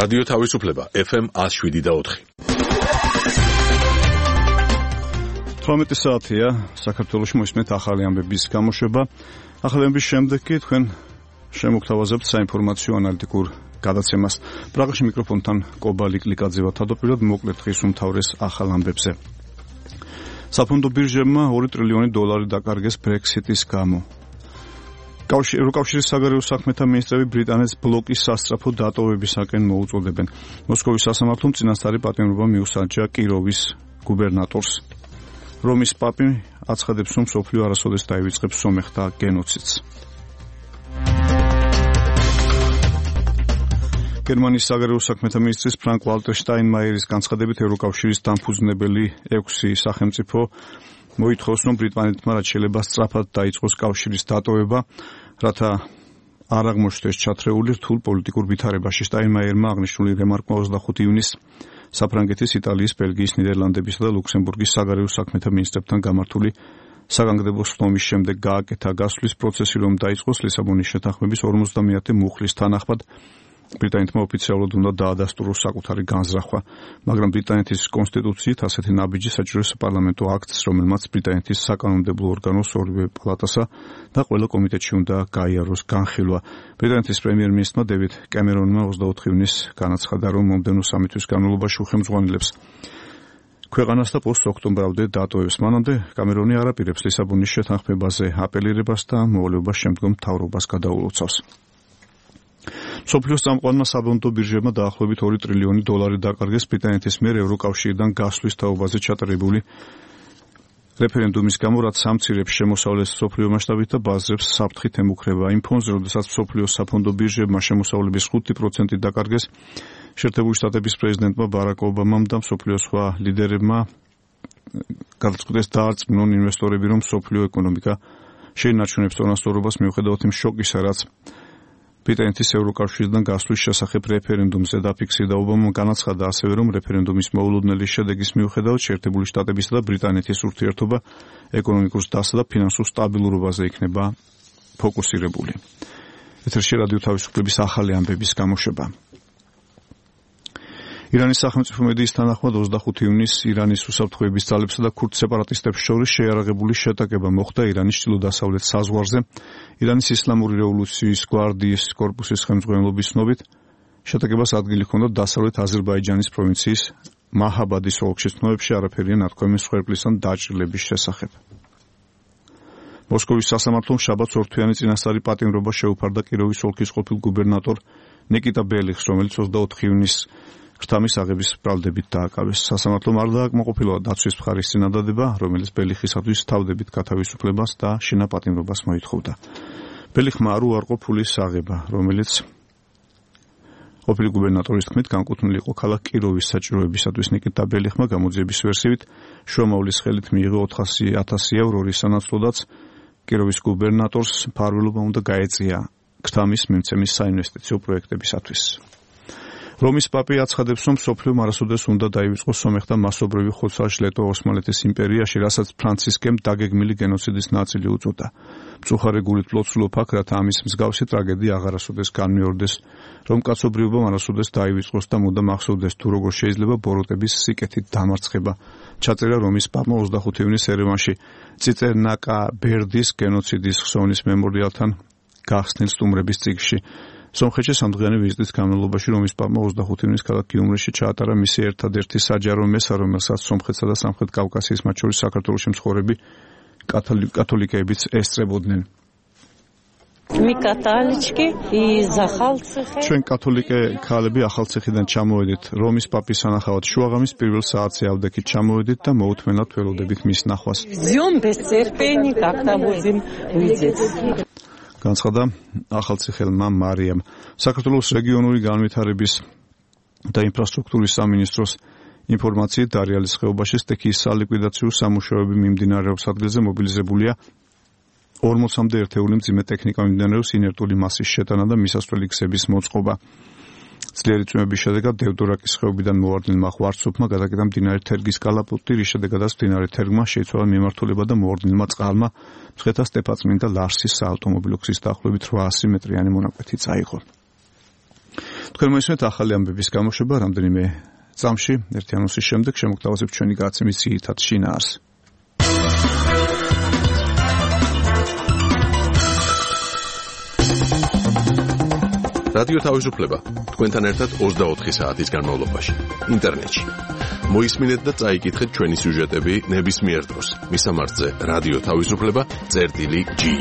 რადიო თავისუფლება FM 107.4. 18 საათია საქართველოში მოისმენთ ახალი ამბების გამოშვება. ახალი ამბების შემდეგ კი თქვენ შემოგთავაზებთ საინფორმაციო ანალიტიკურ გადაცემას. პრაღაში მიკროფონთან კობალი კლიკაძე ვარ. თავდაპირველად მოკლედ დღის უმთავრეს ახალ ამბებზე. საფონდო ბირჟებმა $2 ტრილიონი დაკარგეს Brexit-ის გამო. ევროკავშირის საგარეო საქმეთა მინისტრები ბრიტანეთს ბლოკის სასწრაფო დატოვებისაკენ მოუწოდებენ. მოსკოვის სასამართლომ წინასწარი პატიმრობა მიუსაჯა კიროვის გუბერნატორს. რომის პაპი აცხადებს, რომ მსოფლიო არასოდეს დაივიწყებს სომეხთა გენოციდს. გერმანიის საგარეო საქმეთა მინისტრის ფრანკ ვალტერ შტაინმაიერის განცხადებით ევროკავშირის დამფუძნებელი 6 სახელმწიფო მოითხოვს, რომ ბრიტანეთმა რაც შეიძლება სწრაფად დაიწყოს კავშირის დატოვება, რათა არ აღმოჩნდეს ჩათრეული რთულ პოლიტიკურ ვითარებაში. შტაინმაიერმა აღნიშნული რემარკმა 25 ივნისს საფრანგეთის, იტალიის, ბელგიის, ნიდერლანდებისა და ლუქსემბურგის საგარეო საქმეთა მინისტრებთან გამართული საგანგებო სხდომის შემდეგ გააკეთა გასვლის პროცესი, რომ დაიწყოს ლისაბონის შეთანხმების 50-ე მუხლის თანახმად. ბრიტანეთმა ოფიციალურად უნდა დაადასტუროს საკუთარი განზრახვა, მაგრამ ბრიტანეთის კონსტიტუციით ასეთი ნაბიჯი საჭიროა საპარლამენტო აქტს, რომელმაც ბრიტანეთის საკანონმდებლო ორგანოს ორივე პალატასა და ყველა კომიტეტში უნდა გაიაროს განხილვა. ბრიტანეთის პრემიერ-მინისტრმა დევიდ კემერონმა 24 ივნისს განაცხადა, რომ მომდევნო სამი თვის განმავლობაში უხელმძღვანელებს ქვეყანას და პოსტ-ოქტომბრამდე დატოვებს. მანამდე კამერონი არ აპირებს ლისაბონის შეთანხმებაზე აპელირებას და მოვალეობას შემდგომ მთავრობას გადაულოცავს. მსოფლიოს წამყვანმა საფონდო ბირჟებმა დაახლოებით $2 ტრილიონი დაკარგეს ბრიტანეთის მიერ ევროკავშირიდან გასვლის თაობაზე ჩატარებული რეფერენდუმის გამო, რაც სამცირებს შემოსავლეს მსოფლიო მასშტაბით და ბაზრებს საფრთხით ემუქრება. იმ ფონზე, როდესაც მსოფლიოს საფონდო ბირჟებმა შემოსავლების 5% დაკარგეს, შეერთებული შტატების პრეზიდენტმა ბარაკ ობამამ და მსოფლიოს სხვა ლიდერებმა გადაწყვიტეს დაარწმუნონ ინვესტორები, რომ მსოფლიო ეკონომიკა შეინარჩუნებს წონასწორობას მიუხედავად იმ შოკისა, რაც ბრიტანეთის ევროკავშირიდან გასვლის შესახებ რეფერენდუმზე დაფიქსირდა. ობამამ განაცხადა ასევე, რომ რეფერენდუმის მოულოდნელი შედეგის მიუხედავად შეერთებული შტატებისა და ბრიტანეთის ურთიერთობა ეკონომიკურ დასა და ფინანსურ სტაბილურობაზე იქნება ფოკუსირებული. ეთერში რადიო თავისუფლების ახალი ამბების გამოშვება. ირანის სახელმწიფო მედიის თანახმად 25 ივნისს ირანის უსაფრთხოების ძალებსა და ქურდ სეპარატისტებს შორის შეიარაღებული შეტაკება მოხდა ირანის ჩრდილო-დასავლეთ საზღვარზე. ირანის ისლამური რევოლუციის გვარდიის კორპუსის ხელმძღვანელობის ცნობით, შეტაკებას ადგილი ჰქონდა დასავლეთ აზერბაიჯანის პროვინციის მაჰაბადის ოლქში. ცნობებში არაფერია ნათქვამი მსხვერპლის ან დაჭრილების შესახებ. მოსკოვის სასამართლომ შაბათს ორთვიანი წინასწარი პატიმრობა შეუფარდა კიროვის ოლქის ყოფილ გუბერნატორ ნიკიტა ბელიხს, რომელიც 24 ივნისს ღრთამის აღების ბრალდებით დააკავეს. სასამართლომ არ დააკმაყოფილა დაცვის მხარის წინადადება, რომელიც ბელიხისათვის თავდებით გათავისუფლებას და შინაპატიმრობას მოითხოვდა. ბელიხმა არ უარყო ფულის აღება, რომელიც ყოფილი გუბერნატორის თქმით განკუთვნილი იყო ქალაქ კიროვის საჭიროებისათვის. ნიკიტა ბელიხმა გამოძიების ვერსიით შუამავლის ხელით მიიღო 400,000 евро, რის სანაცვლოდაც კიროვის გუბერნატორს მფარველობა უნდა გაეწია ღრთამის მიმცემის საინვესტიციო პროექტებისათვის. რომის პაპი აცხადებს, რომ მსოფლიომ არასოდეს უნდა დაივიწყოს სომეხთა მასობრივი ხოცვა-ჟლეტვა ოსმალეთის იმპერიაში, რასაც ფრანცისკემ დაგეგმილი გენოციდის ნაწილი უწოდა. მწუხარე გულით ლოცულობ აქ, რათა ამის მსგავსი ტრაგედია აღარასოდეს განმეორდეს, რომ კაცობრიობამ არასოდეს დაივიწყოს და მუდამ ახსოვდეს, თუ როგორ შეიძლება ბოროტების სიკეთით დამარცხება. ჩაწერა რომის პაპმა 25 ივნისს ერევანში წიწენაკა ბერდის გენოციდის ხსოვნის მემორიალთან გახსნილ სტუმრების წიგნში. სომხეთში სამდღიანი ვიზიტის განმავლობაში რომის პაპმა 25 ივნისს ქალაქ გიუმრიში ჩაატარა მისი ერთადერთი საჯარო მესა, რომელსაც სომხეთსა და სამხრეთ კავკასიის, მათ შორის საქართველოში მცხოვრები კათოლიკეებიც ესწრებოდნენ. ჩვენ კათოლიკე ქალები ახალციხიდან ჩამოვედით. რომის პაპის სანახავად შუაღამის პირველ საათზე ავდექით ჩამოვედით და მოუთმენლად ველოდებით მის ნახვას. განცხადა ახალციხელმა მარიამ. საქართველოს რეგიონული განვითარების და ინფრასტრუქტურის სამინისტროს ინფორმაციით დარიალის ხეობაში სტექის სალიკვიდაციო სამუშაოები მიმდინარეობს. ადგილზე მობილიზებულია 40-მდე ერთეული მძიმე ტექნიკა მიმდინარეობს ინერტული მასის შეტანა და მისასვლელი გზების მოწყობა. ძლიერი წვიმების შედეგად დევდორაკის ხეობიდან მოვარდნილმა ღვარცოფმა გადაკეტა მდინარე თერგის კალაპოტი, რის შედეგადაც მდინარე თერგმა შეიცვალა მიმართულება და მოვარდნილმა წყალმა მცხეთა სტეფანწმინდა ლარსის საავტომობილო გზის დაახლოებით 800 მეტრიანი მონაკვეთი წაიღო. თქვენ მოისმენთ ახალი ამბების გამოშვება რამდენიმე წამში ერთი ანონსის შემდეგ შემოგთავაზებთ ჩვენი გადაცემის ძირითად შინაარს. რადიო თავისუფლება თქვენთან ერთად 24 საათის განმავლობაში ინტერნეტში. მოისმინეთ და წაიკითხეთ ჩვენი სიუჟეტები ნებისმიერ დროს. მისამართზე რადიო თავისუფლება.gi.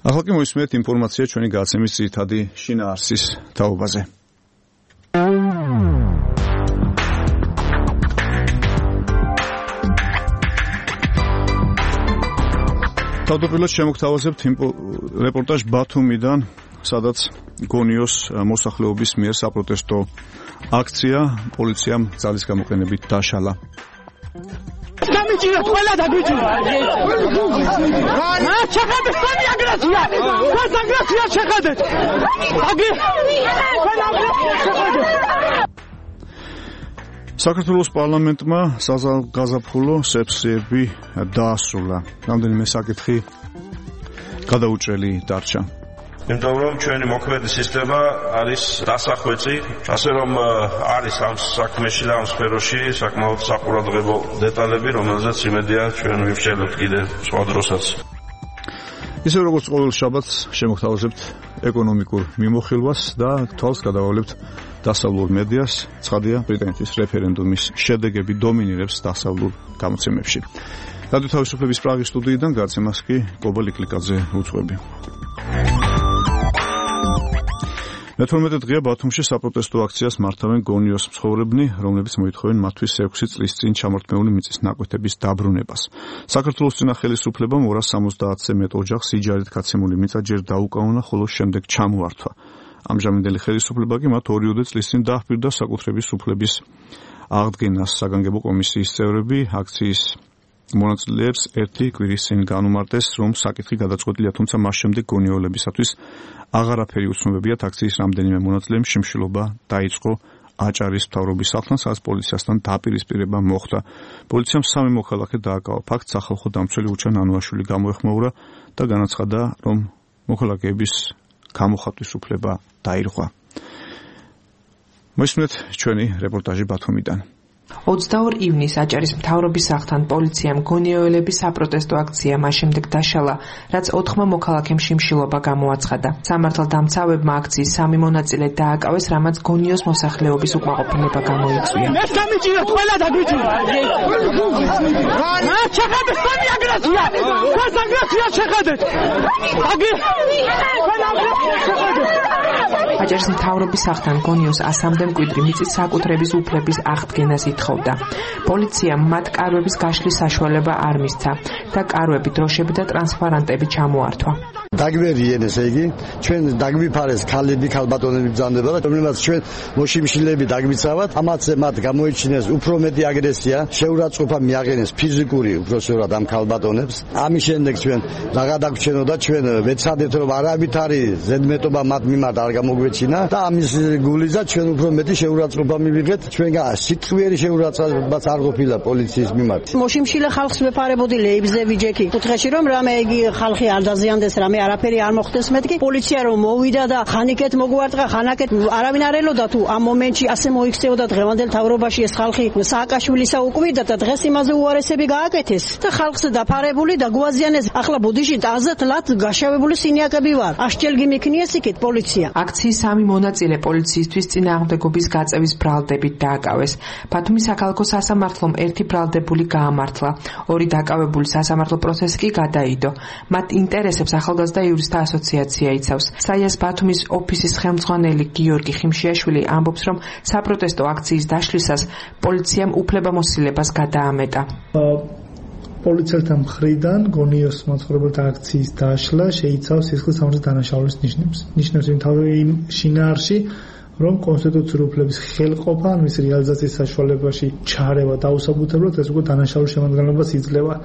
ახლა კი მოისმენთ ინფორმაცია ჩვენი გადაცემის ძირითადი შინაარსის თაობაზე. თავდაპირველად შემოგთავაზებთ რეპორტაჟ ბათუმიდან, სადაც გონიოს მოსახლეობის მიერ საპროტესტო აქცია პოლიციამ ძალის გამოყენებით დაშალა. გამიჭირეთ ყველა დაგიჭირეთ. ჩახედეთ სამი აგრესია. ეს აგრესია ჩახედეთ. საქართველოს პარლამენტმა საზღვარგაზაფხულო სეссიები დაასრულა. რამდენიმე საკითხი გადაუჭრელი დარჩა. იმიტომ რომ ჩვენი მოქმედი სისტემა არის დასახვეწი, ასე რომ არის ამ საქმეში და ამ სფეროში საკმაოდ საყურადღებო დეტალები, რომელზეც იმედია ჩვენ ვივრჩელებთ კიდე სხვა დროსაც. ისე როგორც ყოველ შაბათს შემოგთავაზებთ ეკონომიკურ მიმოხილვას და თვალს გადავავლებთ დასავლურ მედიას. ცხადია, ბრიტანეთის რეფერენდუმის შედეგები დომინირებს დასავლურ გამოცემებში. რადიო თავისუფლების პრაღის სტუდიიდან გადაცემას კი კობა ლიკლიკაძე უძღვები. მე-12 დღეა ბათუმში საპროტესტო აქციას მართავენ გონიოს მცხოვრებნი, რომლებიც მოითხოვენ მათთვის 6 წლის წინ ჩამორთმეული მიწის ნაკვეთების დაბრუნებას. საქართველოს წინა ხელისუფლებამ 270-ზე მეტ ოჯახს სიჯარით გაცემული მიწა ჯერ დაუკავნა, ხოლო შემდეგ ჩამოართვა. ამჟამინდელი ხელისუფლება კი მათ 2 წლის წინ დაჰპირდა საკუთრების უფლების აღდგენას. საგანგებო კომისიის წევრები აქციის მონაწილეებს ერთი კვირის წინ განუმარტეს, რომ საკითხი გადაწყვეტილია, თუმცა მას შემდეგ გონიოლებისათვის აღარაფერი უცნობებიათ. აქციის რამდენიმე მონაწილემ შიმშილობა დაიწყო აჭარის მთავრობის სახლთან, სადაც პოლიციასთან დაპირისპირება მოხდა. პოლიციამ 3 მოქალაქე დააკავა. ფაქტს სახალხო დამცველი უჩა ნანუაშვილი გამოეხმაურა და განაცხადა, რომ მოქალაქეების გამოხატვის უფლება დაირღვა. მოისმენთ ჩვენი რეპორტაჟი ბათუმიდან. 22 ივნისს აჭარის მთავრობის სახლთან პოლიციამ გონიოელების საპროტესტო აქცია მას შემდეგ დაშალა, რაც 4 მოქალაქემ შიმშილობა გამოაცხადა. სამართალდამცავებმა აქციის 3 მონაწილე დააკავეს, რამაც გონიოს მოსახლეობის უკმაყოფილება გამოიწვია. ეს გამიჭირეთ ყველა დაგიჭირეთ. ჩახედეთ სამი აგრესია. ეს აგრესია ჩახედეთ. აჭარის მთავრობის სახლთან გონიოს 100-მდე მკვიდრი მიწის საკუთრების უფლების აღდგენას ითხოვდა. პოლიციამ მათ კარვების გაშლის საშუალება არ მისცა და კარვები, დროშები და ტრანსპარანტები ჩამოართვა. დაგვერიენ, ესე იგი, ჩვენ დაგვიფარეს ქალები, ქალბატონები ბრძანდება და რომლებაც ჩვენ მოშიმშილები დაგვიცავთ, ამათზე მათ გამოიჩინეს უფრო მეტი აგრესია, შეურაცხყოფა მიაღენეს ფიზიკური უბრალოდ ამ ქალბატონებს. ამის შემდეგ ჩვენ რაღა დაგვრჩენოდა, ჩვენ ვეცადეთ, რომ არავითარი ზედმეტობა მათ მიმართ არ გამოგვეჩინა და ამის გულიზა ჩვენ უფრო მეტი შეურაცხყოფა მივიღეთ. ჩვენგან სიტყვიერი შეურაცხყოფაც არ ყოფილა პოლიციის მიმართ. მოშიმშილე ხალხს ვეფარებოდი ლეიბზე ვიჯექი. კუთხეში რომ რამე იგი ხალხი არ დაზიანდეს, რამე არაფერი არ მოხდეს, მეთქი პოლიცია რომ მოვიდა და ხანიკეთ მოგვარტყა, ხანაკეთ არავინ არ ელოდა თუ ამ მომენტში ასე მოიქცეოდა დღევანდელ თავრობაში ეს ხალხი სააკაშვილისა უკვიდა და დღეს იმაზე უარესები გააკეთეს და ხალხს დაფარებული და გვაზიანეს. ახლა ბუდიში აზად ლად გაშავებული სინიაკები ვარ. აშჯელგი მიქნიეს იქით პოლიცია. აქციის 3 მონაწილე პოლიციისთვის წინააღმდეგობის გაწევის ბრალდებით დააკავეს. ბათუმის საქალაქო სასამართლომ 1 ბრალდებული გაამართლა. 2 დაკავებული სასამართლო პროცესი კი გადაიდო. მათ ინტერესებს ახალგაზრდა იურისტთა ასოციაცია იცავს. საიას ბათუმის ოფისის ხელმძღვანელი გიორგი ხიმშიაშვილი ამბობს, რომ საპროტესტო აქციის დაშლისას პოლიციამ უფლებამოსილებას გადაამეტა. პოლიციელთა მხრიდან გონიოს მაცხოვრებელთა აქციის დაშლა შეიცავს სისხლის სამართლის დანაშაულის ნიშნებს. ნიშნებს იმ შინაარსში, რომ კონსტიტუციური უფლების ხელყოფა ან მის რეალიზაციის საშუალებაში ჩარევა დაუსაბუთებლად ეს უკვე დანაშაულის შემადგენლობას იძლევა.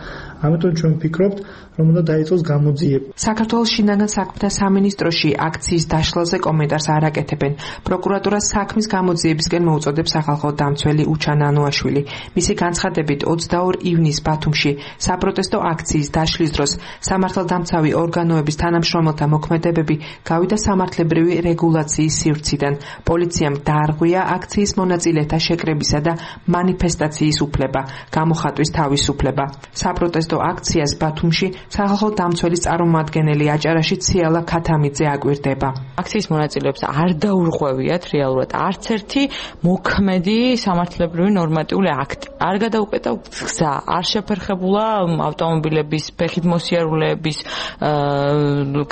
ამიტომ ჩვენ ვფიქრობთ, რომ უნდა დაიწყოს გამოძიება. საქართველოს შინაგან საქმეთა სამინისტროში აქციის დაშლაზე კომენტარს არ აკეთებენ. პროკურატურას საქმის გამოძიებისკენ მოუწოდებს სახალხო დამცველი უჩან ანუაშვილი. მისი განცხადებით 22 ივნისს ბათუმში საპროტესტო აქციის დაშლის დროს სამართალდამცავი ორგანოების თანამშრომელთა მოქმედებები გავიდა სამართლებრივი რეგულაციის სივრციდან. პოლიციამ დაარღვია აქციის მონაწილეთა შეკრებისა და მანიფესტაციის უფლება, გამოხატვის თავისუფლება. საპროტესტო აქციას ბათუმში სახალხო დამცველის წარმომადგენელი აჭარაში ციალა ქათამიძე აკვირდება. აქციის მონაწილეებს არ დაურღვევიათ რეალურად არც ერთი მოქმედი სამართლებრივი ნორმატიული აქტი. არ გადაუკეთა გზა, არ შეფერხებულა ავტომობილების ფეხით მოსიარულეების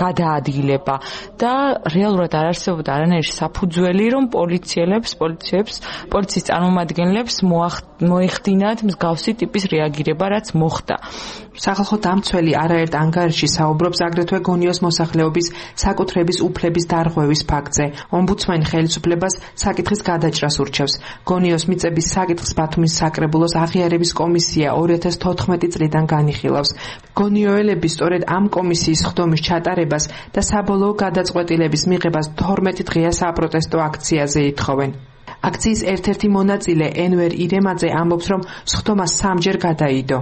გადაადგილება და რეალურად არ არსებობდა არანაირი საფუძველი, რომ პოლიციის წარმომადგენლებს მოეხდინათ მსგავსი ტიპის რეაგირება, რაც მოხდა. სახალხო დამცველი არაერთ ანგარიშში საუბრობს აგრეთვე გონიოს მოსახლეობის საკუთრების უფლების დარღვევის ფაქტზე. ომბუდსმენი ხელისუფლებას საკითხის გადაჭრას ურჩევს. გონიოს მიწების საკითხს ბათუმის საკრებულოს აღიარების კომისია 2014 წლიდან განიხილავს. გონიოელები სწორედ ამ კომისიის ხდომის ჩატარებას და საბოლოო გადაწყვეტილების მიღებას 12 დღეა საპროტესტო აქციაზე ითხოვენ. აქციის ერთ-ერთი მონაწილე ენვერ ირემაძე ამბობს, რომ სხდომა 3-ჯერ გადაიდო.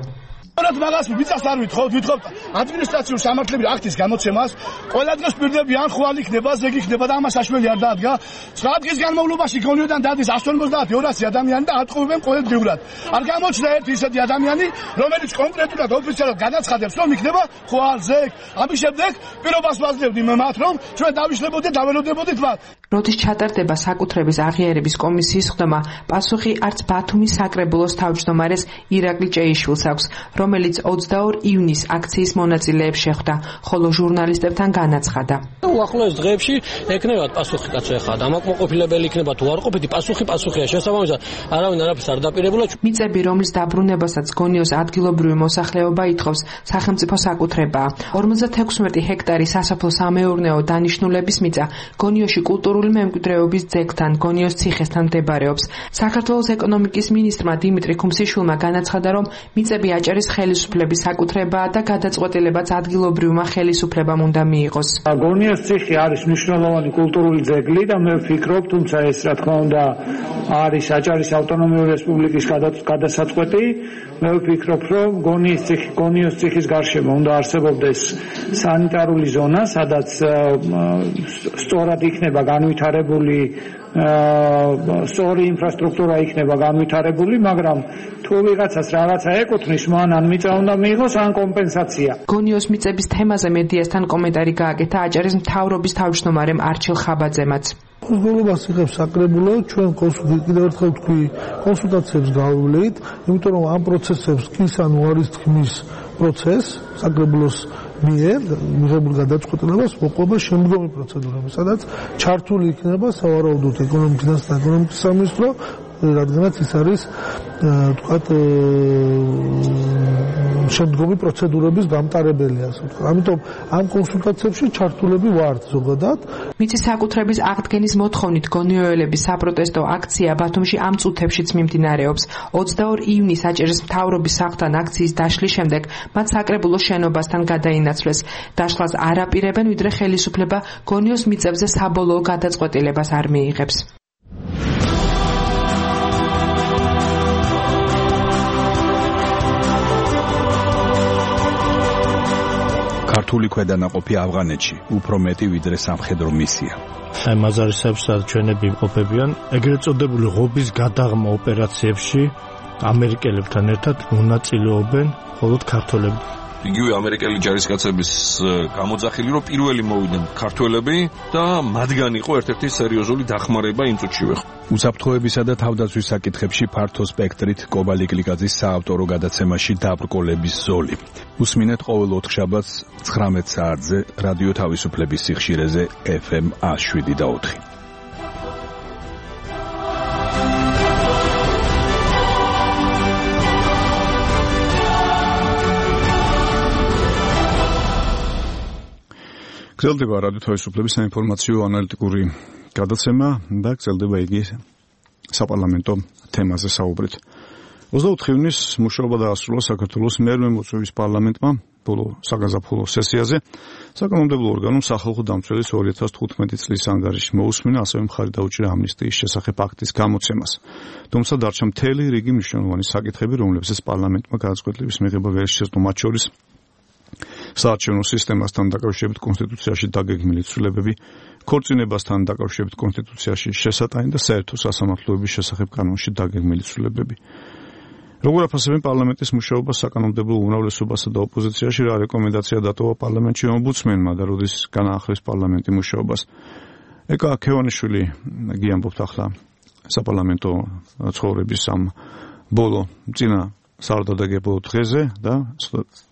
მაგას მიწას არ ვითხოვთ ადმინისტრაციულ სამართლებრივ აქტის გამოცემას ყველა დღეს პირდები ან ხვალ იქნება, ზეგი იქნება და ამას საშველი არ დაადგა. 9 დღის განმავლობაში გონიოდან დადის 150-200 ადამიანი და ატყუებენ ყოველდღიურად. არ გამოჩნდა ერთი ისეთი ადამიანი, რომელიც კონკრეტულად ოფიციალურად განაცხადებს, რომ იქნება ხვალ, ზეგ. ამის შემდეგ პირობას ვაძლევდი მათ, რომ ჩვენ დავიშლებოდეთ, დაველოდებოდით მათ. როდის ჩატარდება საკუთრების აღიარების კომისიის ხდომა, პასუხი არც ბათუმის საკრებულოს თავმჯდომარეს ირაკლი ჭეიშვილს აქვს, რომელიც 22 ივნისს აქციის მონაწილეებს შეხვდა, ხოლო ჟურნალისტებთან განაცხადა. უახლოეს დღეებში ეკნებათ პასუხი კაცო ახლა დამაკმაყოფილებელი იქნება თუ არ ყოფილი პასუხია შესაბამისად არავინ არაფერს არ დაპირებულა. მიწები, რომლის დაბრუნებასაც გონიოს ადგილობრივი მოსახლეობა ითხოვს, სახელმწიფო საკუთრებაა. 56 ჰექტარი სასოფლო-სამეურნეო დანიშნულების მიწა გონიოში კულტურული მემკვიდრეობის ძეგლთან, გონიოს ციხესთან მდებარეობს. საქართველოს ეკონომიკის მინისტრმა დიმიტრი ქუმსიშვილმა განაცხადა, რომ მიწები აჭარის ხელისუფლების საკუთრებაა და გადაწყვეტილებაც ადგილობრივმა ხელისუფლებამ უნდა მიიღოს. გონიოს ციხე არის მნიშვნელოვანი კულტურული ძეგლი და მე ვფიქრობ, თუმცა ეს რა თქმა უნდა არის აჭარის ავტონომიური რესპუბლიკის გადასაწყვეტი. მე ვფიქრობ, რომ გონიოს ციხის გარშემო უნდა არსებობდეს სანიტარული ზონა, სადაც სწორად იქნება განვითარებული სწორი ინფრასტრუქტურა იქნება განვითარებული, მაგრამ თუ ვიღაცას რაღაცა ეკუთვნის, მან ან მიწა უნდა მიიღოს, ან კომპენსაცია. გონიოს მიწების თემაზე მედიასთან კომენტარი გააკეთა აჭარის მთავრობის თავმჯდომარემ არჩილ ხაბაძემაც. გულობას იღებს საკრებულო, ჩვენ კიდევ ერთხელ ვთქვი, კონსულტაციებს გავივლით, იმიტომ რომ ამ პროცესებს კისან უარის თქმის პროცესს საკრებულოს მიერ მიღებულ გადაწყვეტილებას მოყვება შემდგომი პროცედურები, სადაც ჩართული იქნება სავარაუდოდ ეკონომიკის და ეკონომიკის სამინისტრო, რადგანაც ის არის თქვათ შემდგომი პროცედურების გამტარებელი, ასე ვთქვათ. ამიტომ ამ კონსულტაციებში ჩართულები ვართ ზოგადად. მიწის საკუთრების აღდგენის მოთხოვნით გონიოელების საპროტესტო აქცია ბათუმში ამ წუთებშიც მიმდინარეობს. 22 ივნისს აჭარის მთავრობის სახლთან აქციის დაშლის შემდეგ მათ საკრებულოს შენობასთან გადაინაცვლეს. დაშლას არ აპირებენ, ვიდრე ხელისუფლება გონიოს მიწებზე საბოლოო გადაწყვეტილებას არ მიიღებს. ქართული ქვედანაყოფი ავღანეთში უფრო მეტი ვიდრე სამხედრო მისია. აი მაზარისეებს ჩვენები იმყოფებიან ეგრეთ წოდებული ღობის გადაღმა ოპერაციებში ამერიკელებთან ერთად მონაწილეობენ მხოლოდ ქართველები. იგივე ამერიკელი ჯარისკაცების გამოძახილი, რომ პირველი მოვიდნენ ქართველები და მათგან იყო ერთ-ერთი სერიოზული დახმარება იმ წუთშივე. უსაფრთხოებისა და თავდაცვის საკითხებში ფართო სპექტრით კობალი კლიკაძის საავტორო გადაცემაში დაბრკოლების ზოლი. უსმინეთ ყოველ ოთხშაბათს 19 საათზე რადიო თავისუფლების სიხშირეზე FM 107.4. გრძელდება რადიო თავისუფლების საინფორმაციო ანალიტიკური გადაცემა და გრძელდება იგი საპარლამენტო თემაზე საუბრით. 24 ივნის მუშაობა დაასრულა საქართველოს მერვე მოწვევის პარლამენტმა ბოლო საგაზაფხულო სესიაზე. საკანონმდებლო ორგანომ სახალხო დამცველის 2015 წლის ანგარიში მოусმინა, ასევე მხარი დაუჭირა ამნისტიის შესახებ აქტის გამოცემას. თუმცა დარჩა მთელი რიგი მნიშვნელოვანი საკითხები, რომლებსაც პარლამენტმა გადაწყვეტილების მიღება ვერ შესძლო, მათ შორის საარჩევნო სისტემასთან დაკავშირებით კონსტიტუციაში დაგეგმილი ცვლილებები, ქორწინებასთან დაკავშირებით კონსტიტუციაში შესატანი და საერთო სასამართლოების შესახებ კანონში დაგეგმილი ცვლილებები. როგორ აფასებენ პარლამენტის მუშაობას საკანონმდებლო უმრავლესობასა და ოპოზიციაში, რა რეკომენდაცია დატოვა პარლამენტში ომბუდსმენმა და როდის განაახლეს პარლამენტი მუშაობას? ეკა ქევანიშვილი გიამბობთ ახლა საპარლამენტო ცხოვრების ამ ბოლო წინა საარდადეგებო დღეზე და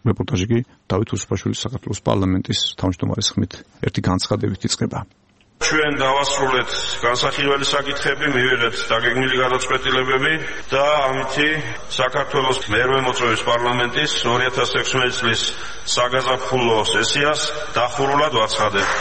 რეპორტაჟი კი დავით უსუფაშვილის საქართველოს პარლამენტის თავმჯდომარის ხმით ერთი განცხადებით იწყება. ჩვენ დავასრულეთ განსახილველი საკითხები, მივიღეთ დაგეგმილი გადაწყვეტილებები და ამითი საქართველოს მერვე მოწვევის პარლამენტის 2016 წლის საგაზაფხულო სესიას დახურულად ვაცხადებთ.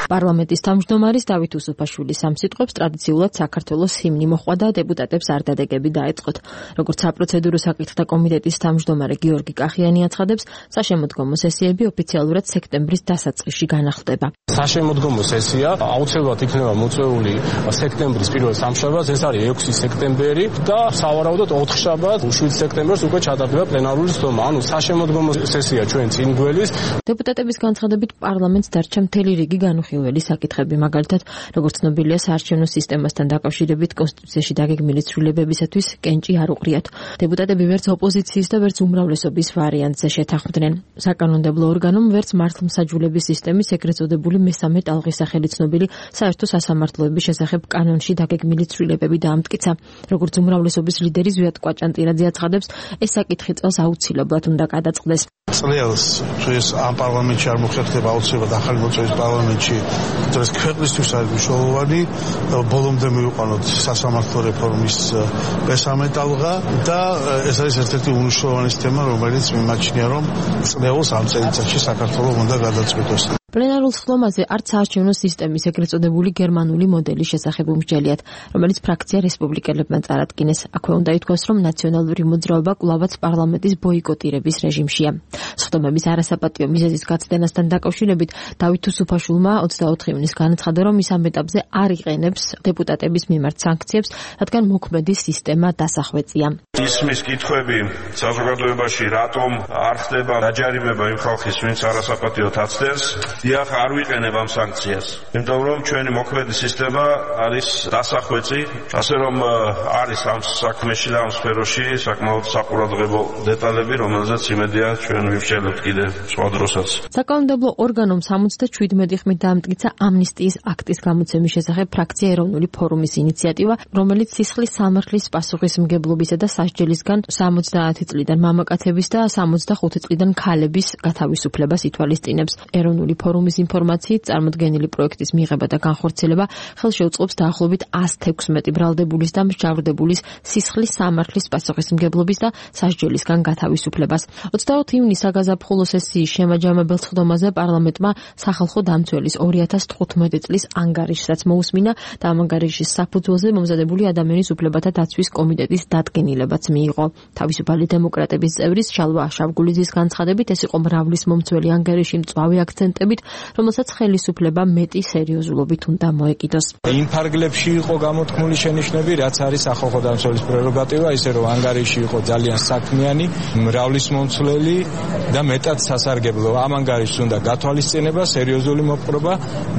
პარლამენტის თავმჯდომარის დავით უსუფაშვილის ამ სიტყვებს ტრადიციულად საქართველოს ჰიმნი მოჰყვა და დეპუტატებს არდადეგები დაეწყოთ. როგორც საპროცედურო საკითხთა კომიტეტის თავმჯდომარე გიორგი კახიანი აცხადებს, საშემოდგომო სესიები ოფიციალურად სექტემბრის დასაწყისში განახლდება. საშემოდგომო სესია აუცილებლად იქნება მოწვეული სექტემბრის პირველ სამშაბათს, ეს არის 6 სექტემბერი და სავარაუდოდ 4 შაბათს 7 სექტემბერს უკვე ჩატარდება პლენარული სხდომა. ანუ საშემოდგომო სესია ჩვენ წინ გველის. დეპუტატების განცხადებით პარლამენტს დარჩა მთელი რიგი განუხილველი საკითხები, მაგალითად, როგორც ცნობილია, საარჩევნო სისტემასთან დაკავშირებით კონსტიტუციაში დაგეგმილი ცვლილებებისათვის კენჭი არ უყრიათ. დეპუტატები ვერც ოპოზიციის და ვერც უმრავლესობის ვარიანტზე შეთანხმდნენ. საკანონმდებლო ორგანომ ვერც მართლმსაჯულების სისტემის ეგრეთ წოდებული მესამე ტალღის სახელით ცნობილი საერთო სასამართლოების შესახებ კანონში დაგეგმილი ცვლილებები დაამტკიცა. როგორც უმრავლესობის ლიდერი ზვიად კვაჭანტირაძე აცხადებს, ეს საკითხი წელს აუცილებლად უნდა გადაწყდეს. წელს ეს ამ პარლამენტში არ მოხერხდება აუცილებლად ახალი მოწვევის პარლამენტში, ეს ქვეყნისთვის არის მნიშვნელოვანი. ბოლომდე მივიყვანოთ სასამართლო რეფორმის მესამე ტალღა და ეს არის ერთ-ერთი უმნიშვნელოვანესი თემა, რომელიც მიმაჩნია, რომ წელს ამ წელიწადში საქართველოს უნდა გადაწყვეტოს. პლენარულ სხდომაზე არც საარჩევნო სისტემის ეგრეთ წოდებული გერმანული მოდელის შესახებ უმსჯელიათ, რომელიც ფრაქცია რესპუბლიკელებმა წარადგინეს. აქვე უნდა ითქვას, რომ ნაციონალური მოძრაობა კვლავაც პარლამენტის ბოიკოტირების რეჟიმშია. სხდომების არასაპატიო მიზეზის გაცდენასთან დაკავშირებით დავით უსუფაშვილმა 24 ივნის განაცხადა, რომ ის ამ ეტაპზე არ იყენებს დეპუტატების მიმართ სანქციებს, რადგან მოქმედი სისტემა დასახვეწია. ისმის კითხვები საზოგადოებაში, რატომ არ ხდება დაჯარიმება იმ ხალხის, ვინც არასაპატიოდ აცდენს? დიახ, არ ვიყენებ ამ სანქციას, იმიტომ რომ ჩვენი მოქმედი სისტემა არის დასახვეწი, ასე რომ არის ამ საქმეში და ამ სფეროში საკმაოდ საყურადღებო დეტალები, რომელზეც იმედია ჩვენ ვივშელებთ კიდე სხვა დროსაც. საკანონმდებლო ორგანომ 77 ხმით დაამტკიცა ამნისტიის აქტის გამოცემის შესახებ ფრაქცია ეროვნული ფორუმის ინიციატივა, რომელიც სისხლის სამართლის პასუხისმგებლობისა და სასჯელისგან 70 წლიდან მამაკაცების და 65 წლიდან ქალების გათავისუფლებას ითვალისწინებს. ეროვნული ფორუმის ინფორმაციით, წარმოდგენილი პროექტის მიღება და განხორციელება ხელშეუწყობს დაახლოებით 116 ბრალდებულის და მსჯავრდებულის სისხლის სამართლის პასუხისმგებლობის და სასჯელისგან გათავისუფლებას. 24 ივნის საგაზაფხულო სესიის შემაჯამებელ სხდომაზე პარლამენტმა სახალხო დამცველის 2015 წლის ანგარიშსაც მოусმინა და ამ ანგარიშის საფუძველზე მომზადებული ადამიანის უფლებათა დაცვის კომიტეტის დადგენილებაც მიიღო. თავისუფალი დემოკრატების წევრის შალვა შავგულიძის განცხადებით, ეს იყო მრავლის მომცველი ანგარიში მწვავე აქცენტებით, რომელსაც ხელისუფლება მეტი სერიოზულობით უნდა მოეკიდოს. იმ ფარგლებში იყო გამოთქმული შენიშვნები, რაც არის სახალხო დამცველის პრეროგატივა, ისე რომ ანგარიში იყო ძალიან საქმიანი, მრავლის მომცვლელი და მეტად სასარგებლო. ამ ანგარიშს უნდა გათვალისწინება, სერიოზული მოპყრობა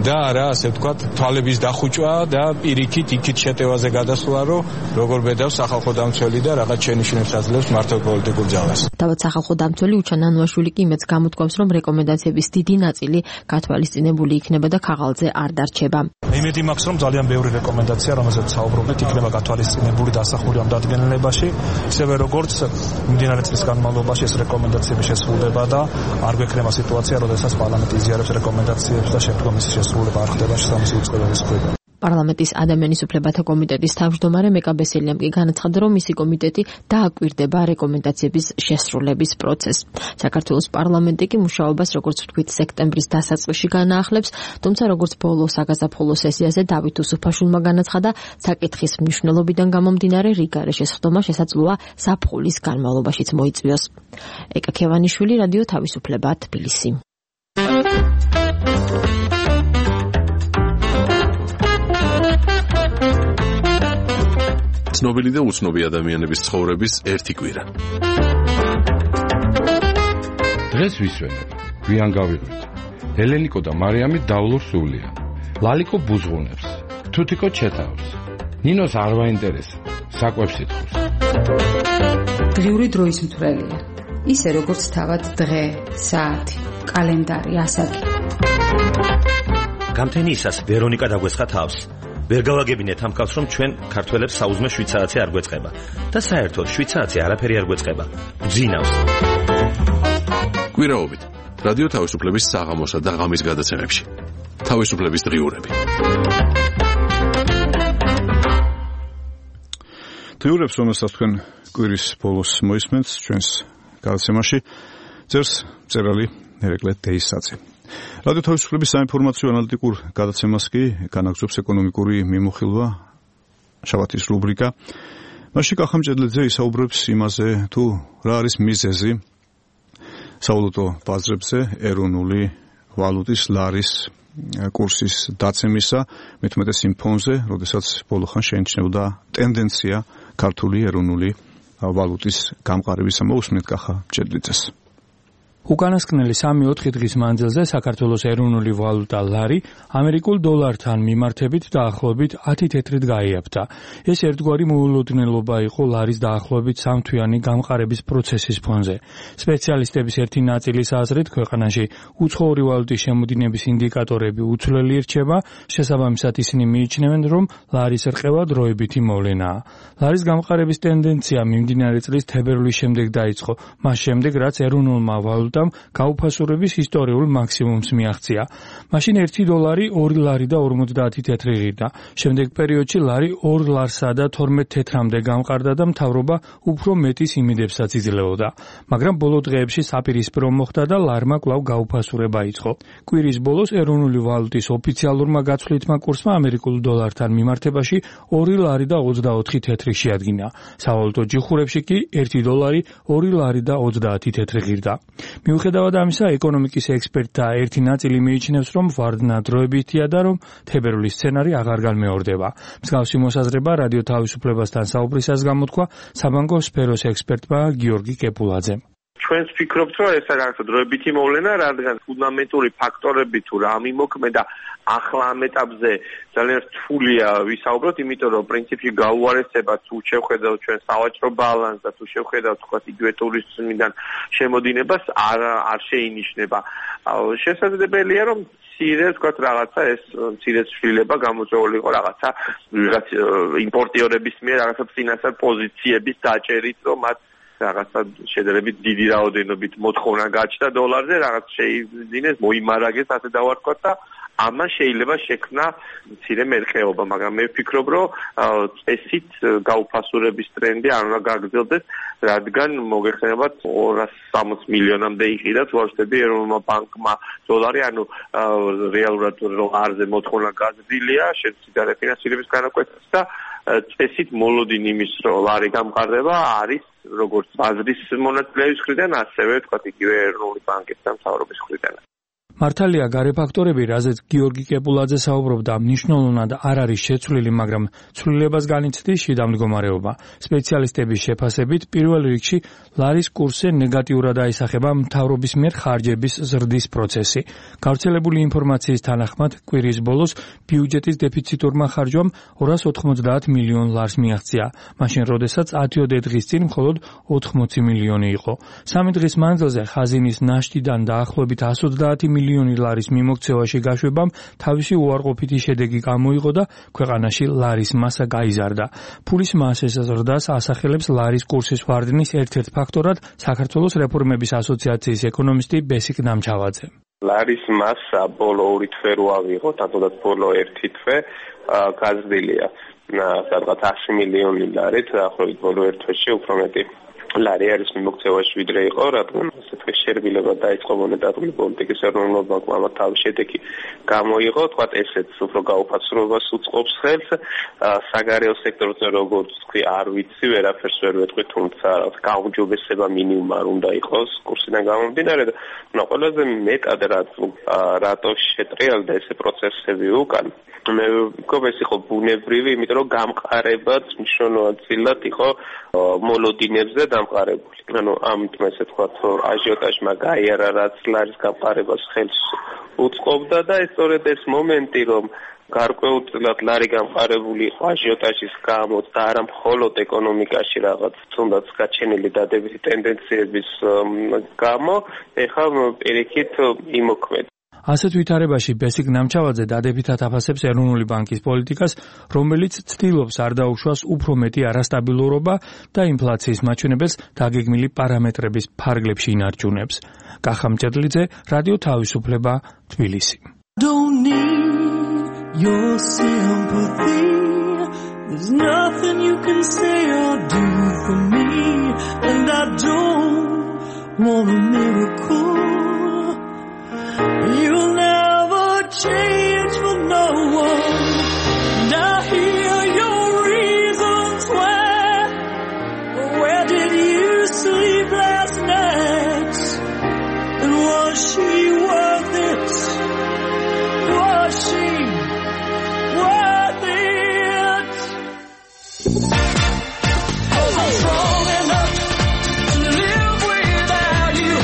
და არა, ასე ვთქვათ, თვალების დახუჭვა და პირიქით იქით შეტევაზე გადასვლა, რომ როგორ ბედავს სახალხო დამცველი და რაღაც შენიშვნებს აძლევს მართლ პოლიტიკურ ძალას. თავად სახალხო დამცველი უჩან ანუაშვილი კი იმედს გამოთქვამს, რომ რეკომენდაციების დიდი ნაწილი გათვალისწინებული იქნება და ქაღალდზე არ დარჩება. იმედი მაქვს, რომ ძალიან ბევრი რეკომენდაცია, რომელსაც საუბრობთ, იქნება გათვალისწინებული დასახული ამ დადგენილებაში, ისევე როგორც მიმდინარე წლის განმავლობაში ეს რეკომენდაციები შესრულდება და არ გვექნება სიტუაცია, როდესაც პარლამენტი იზიარებს რეკომენდაციებს და შემდგომ მისი შესრულება არ ხდება შესაბამისი უწყებების ქვეშ. პარლამენტის ადამიანის უფლებათა კომიტეტის თავმჯდომარე მეკა ბესელიამ კი განაცხადა, რომ მისი კომიტეტი დააკვირდება რეკომენდაციების შესრულების პროცესს. საქართველოს პარლამენტი კი მუშაობას, როგორც ვთქვით, სექტემბრის დასაწყისში განაახლებს, თუმცა როგორც ბოლო საგაზაფხულო სესიაზე დავით უსუფაშვილმა განაცხადა, საკითხის მნიშვნელობიდან გამომდინარე რიგარე შესხდომა შესაძლოა ზაფხულის განმავლობაშიც მოიწვიოს. ეკა ქევანიშვილი, რადიო თავისუფლება, თბილისი. ცნობილი და უცნობი ადამიანების ცხოვრების ერთი კვირა. დღეს ვისვენებ, გვიან გავიღვით. ელენიკო და მარიამი დავლურ სულია. ლალიკო ბუზღუნებს, თუთიკო ჩეთავს. ნინოს არ ვაინტერესებს, საკვებს ითხოვს. დღიური დროის მთვრელია. ისე როგორც თავად დღე, საათი, კალენდარი, ასაკი. გამთენიისას ვერონიკა დაგვესხა თავს. ვერ გავაგებინეთ ამ კაცს, რომ ჩვენ ქართველებს საუზმე 7 საათზე არ გვეწყება და საერთოდ 7 საათზე არაფერი არ გვეწყება. გძინავს. კვირაობით რადიო თავისუფლების საღამოსა და ღამის გადაცემებში. თავისუფლების დღიურები. დღიურებს, რომელსაც თქვენ კვირის ბოლოს მოისმენთ ჩვენს გადაცემაში, წერს მწერალი ერეკლე დეისაძე. რადიო თავისუფლების საინფორმაციო ანალიტიკურ გადაცემას კი განაგრძობს ეკონომიკური მიმოხილვა შაბათის რუბრიკა. მასში კახამჭედლიძე ისაუბრებს იმაზე, თუ რა არის მიზეზი სავალუტო ბაზრებზე ეროვნული ვალუტის ლარის კურსის დაცემისა, მით უმეტეს იმ ფონზე, როდესაც ბოლო ხანს შეიმჩნეოდა ტენდენცია ქართული ეროვნული ვალუტის გამყარებისა. მოусმენთ კახამჭედლიძეს. უკანასკნელი 3-4 დღის მანძილზე საქართველოს ეროვნული ვალუტა ლარი ამერიკულ დოლართან მიმართებით დაახლოებით 10 თეთრით გაიაფთა. ეს ერთგვარი მოულოდნელობა იყო ლარის დაახლოებით 3 თვიანი გამყარების პროცესის ფონზე. სპეციალისტების ერთი ნაწილის აზრით, ქვეყანაში უცხოური ვალუტის შემოდინების ინდიკატორები უცვლელი რჩება, შესაბამისად ისინი მიიჩნევენ, რომ ლარის რყევა დროებითი მოვლენაა. ლარის გამყარების ტენდენცია მიმდინარე წლის თებერვლის შემდეგ დაიწყო, მას შემდეგ რაც ეროვნულმა ვალუტამ გაუფასურების ისტორიულ მაქსიმუმს მიაღწია. მაშინ 1 დოლარი 2 ლარი და 50 თეთრი ღირდა. შემდეგ პერიოდში ლარი 2 ლარსა და 12 თეთრამდე გამყარდა და მთავრობა უფრო მეტის იმედებსაც იძლეოდა. მაგრამ ბოლო დღეებში საპირისპირო მოხდა და ლარმა კვლავ გაუფასურება იწყო. კვირის ბოლოს ეროვნული ვალუტის ოფიციალურმა გაცვლითმა კურსმა ამერიკულ დოლართან მიმართებაში 2 ლარი და 24 თეთრი შეადგინა. სავალუტო ჯიხურებში კი 1 დოლარი 2 ლარი და 30 თეთრი ღირდა. მიუხედავად ამისა, ეკონომიკის ექსპერტთა ერთი ნაწილი მიიჩნევს, რომ ვარდნა დროებითია და რომ თებერვლის სცენარი აღარ განმეორდება. მსგავსი მოსაზრება რადიო თავისუფლებასთან საუბრისას გამოთქვა საბანკო სფეროს ექსპერტმა გიორგი კეპულაძემ. ჩვენს ფიქრობთ, რომ ეს რაღაცა დროებითი მოვლენა, რადგან ფუნდამენტური ფაქტორები თუ რა მიმოქმედა ახლა ამ ეტაპზე ძალიან რთულია ვისაუბროთ, იმიტომ რომ პრინციპში გაუარესება თუ შევხედავთ ჩვენ სავაჭრო ბალანსს და თუ შევხედავთ თქვა იგივე ტურიზმიდან შემოდინებას არ შეინიშნება. შესაძლებელია რომ მცირე თქვა რაღაცა ეს მცირე ცვლილება გამოწვეული იყო რაღაცა ვიღაც იმპორტიორების მიერ რაღაცა ფინანსურ პოზიციების დაჭერით, რომ მათ რაღაცა შედარებით დიდი რაოდენობით მოთხოვნა გაჩნდა დოლარზე, რაღაც შეიძინეს, მოიმარაგეს, ასე დავარქვათ და ამან შეიძლება შექმნა მცირე მერყეობა, მაგრამ მე ვფიქრობ, რომ წესით გაუფასურების ტრენდი არ უნდა გაგრძელდეს, რადგან მოგეხსენებათ 260 მილიონამდე იყიდა ვარშავში ეროვნულმა ბანკმა დოლარი, ანუ რეალურად ლარზე მოთხოვნა გაზრდილია, შეცდიდა რეფინანსირების განაკვეთას და წესით მოლოდინ იმის, რომ ლარი გამყარდება არის როგორც ბაზრის მონაწილეების მხრიდან, ასევე თქვა იგივე ეროვნული ბანკის და მთავრობის მხრიდან. მართალია გარე ფაქტორები, რაზეც გიორგი კეპულაძე საუბრობდა, მნიშვნელოვნად არ არის შეცვლილი, მაგრამ ცვლილებას განიცდის შიდა მდგომარეობა. სპეციალისტების შეფასებით, პირველ რიგში ლარის კურსზე ნეგატიურად აისახება მთავრობის მიერ ხარჯების ზრდის პროცესი. გავრცელებული ინფორმაციის თანახმად, კვირის ბოლოს ბიუჯეტის დეფიციტურმა ხარჯვამ 290 მილიონ ლარს მიაღწია, მაშინ როდესაც 10 დღის წინ მხოლოდ 80 მილიონი იყო. 3 დღის მანძილზე ხაზინის ნაშთიდან დაახლოებით 130 მილიონი ლარის მიმოქცევაში გაშვებამ თავისი უარყოფითი შედეგი გამოიღო და ქვეყანაში ლარის მასა გაიზარდა. ფულის მასის ზრდას ასახელებს ლარის კურსის ვარდნის ერთ-ერთ ფაქტორად საქართველოს რეფორმების ასოციაციის ეკონომისტი ბესიკ ნამჩავაძე. ლარის მასა ბოლო 2 თვე რო ავიღოთ, თუნდაც ბოლო 1 თვე გაზრდილია სადღაც 100 მილიონი ლარით, დაახლოებით ბოლო 1 თვეში უფრო მეტი ლარი არის მიმოქცევაში ვიდრე იყო, რადგან ასე თქვი შერბილება დაიწყო მონეტარული პოლიტიკის ეროვნულ ბანკმა ამათ თავის შედეგი გამოიღო, თქვათ ესეც უფრო გაუფაცრობას უწყობს ხელს, საგარეო სექტორზე როგორც თქვი არ ვიცი, ვერაფერს ვერ ვეტყვი, თუმცა გაუმჯობესება მინიმუმ არ უნდა იყოს კურსიდან გამომდინარე და ყველაზე მეტად რატო შეტრიალდა ესე პროცესები უკან მე მგონი ეს იყო ბუნებრივი, იმიტომ რომ გამყარებაც მნიშვნელოვნად იყო მოლოდინებზე დამყარებული. ანუ ამით ესე თქვა, აჟიოტაჟმა გაიარა, რაც ლარის გამყარებას ხელს უწყობდა და სწორედ ეს მომენტი, რომ გარკვეულწილად ლარი გამყარებული იყო აჟიოტაჟის გამო და არა მხოლოდ ეკონომიკაში რაღაც თუნდაც გაჩენილი დადებითი ტენდენციების გამო, ეხლა პირიქით იმოქმედა. ასეთ ვითარებაში ბესიკ ნამჩავაძე დადებითად აფასებს ეროვნული ბანკის პოლიტიკას, რომელიც ცდილობს არ დაუშვას უფრო მეტი არასტაბილურობა და ინფლაციის მაჩვენებელს დაგეგმილი პარამეტრების ფარგლებში ინარჩუნებს. კახა მჭედლიძე, რადიო თავისუფლება, თბილისი. Don't need your sympathy. There's nothing you can say or do for me, and I don't want a miracle. You'll never change for no one. And I hear your reasons why. Where did you sleep last night? And was she worth it? Was she worth it? I'm strong enough to live without you.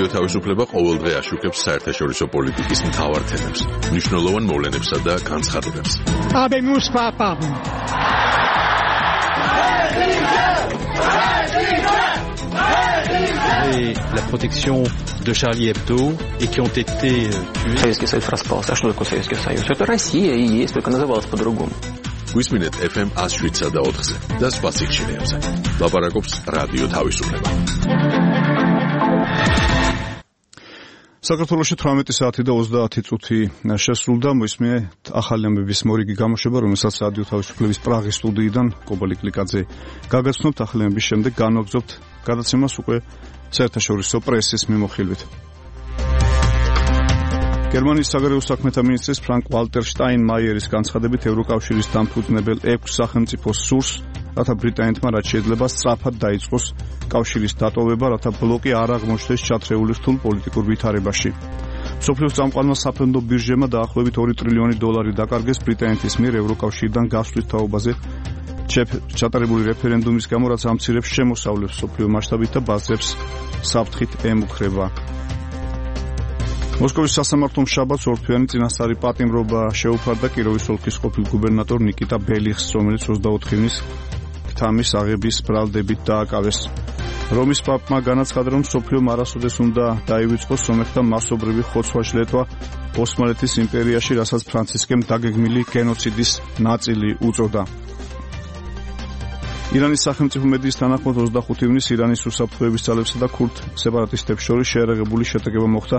რადიო თავისუფლება ყოველდღე აშუქებს საერთაშორისო პოლიტიკის მთავარ თემებს, მნიშვნელოვან მოვლენებსა და განცხადებებს. Habemus papam. Et la protection de Charlie Hebdo et qui ont été tués. Советский Союз распался. А что такое Советский Союз? Это Россия и есть, только называлась по-другому. გვისმინეთ FM 107-ზე და 4-ზე და სხვა სიჩქარეებზე. ლაპარაკობს რადიო თავისუფლება. საქართველოში 18 საათი და 30 წუთი შესრულდა. მოისმინეთ ახალი ამბების მორიგი გამოშვება, რომელსაც რადიო თავისუფლების პრაღის სტუდიიდან კობალი კლიკაძე გაგაცნობთ. ახალი ამბების შემდეგ განვაგრძობთ გადაცემას უკვე საერთაშორისო პრესის მიმოხილვით. გერმანიის საგარეო საქმეთა მინისტრის ფრანკ ვალტერ შტაინმაიერის განცხადებით ევროკავშირის დამფუძნებელ 6 სახელმწიფოს სურს, რათა ბრიტანეთმა რაც შეიძლება სწრაფად დაიწყოს კავშირის დატოვება, რათა ბლოკი არ აღმოჩნდეს ჩათრეული რთულ პოლიტიკურ ვითარებაში. მსოფლიოს წამყვანმა საფრენდო ბირჟებმა დაახლოებით 2 ტრილიონი დოლარი დაკარგეს ბრიტანეთის მიერ ევროკავშირიდან გასვლის თაობაზე ჩატარებული რეფერენდუმის გამო, რაც ამცირებს შემოსავლებს მსოფლიო მასშტაბით და ბაზრებს საფრთხით ემუქრება. მოსკოვის სასამართლომ შაბათს ორთვიანი წინასწარი პატიმრობა შეუფარდა კიროვის ოლქის ყოფილ გუბერნატორ ნიკიტა ბელიხს, რომელიც 24 ივნის თამის აღების ბრალდებით დააკავეს. რომის პაპმა განაცხადა, რომ მსოფლიომ არასოდეს უნდა დაივიწყოს სომეხთა მასობრივი ხოცვა-შლეტვა ოსმალეთის იმპერიაში, რასაც ფრანცისკემ დაგეგმილი გენოციდის ნაწილი უწოდა. ირანის სახელმწიფო მედიის თანახმად 25 ივნის ირანის უსაფრთხოების ძალებსა და ქურთ სეპარატისტებს შორის შეერაღებული შეტაკება მოხდა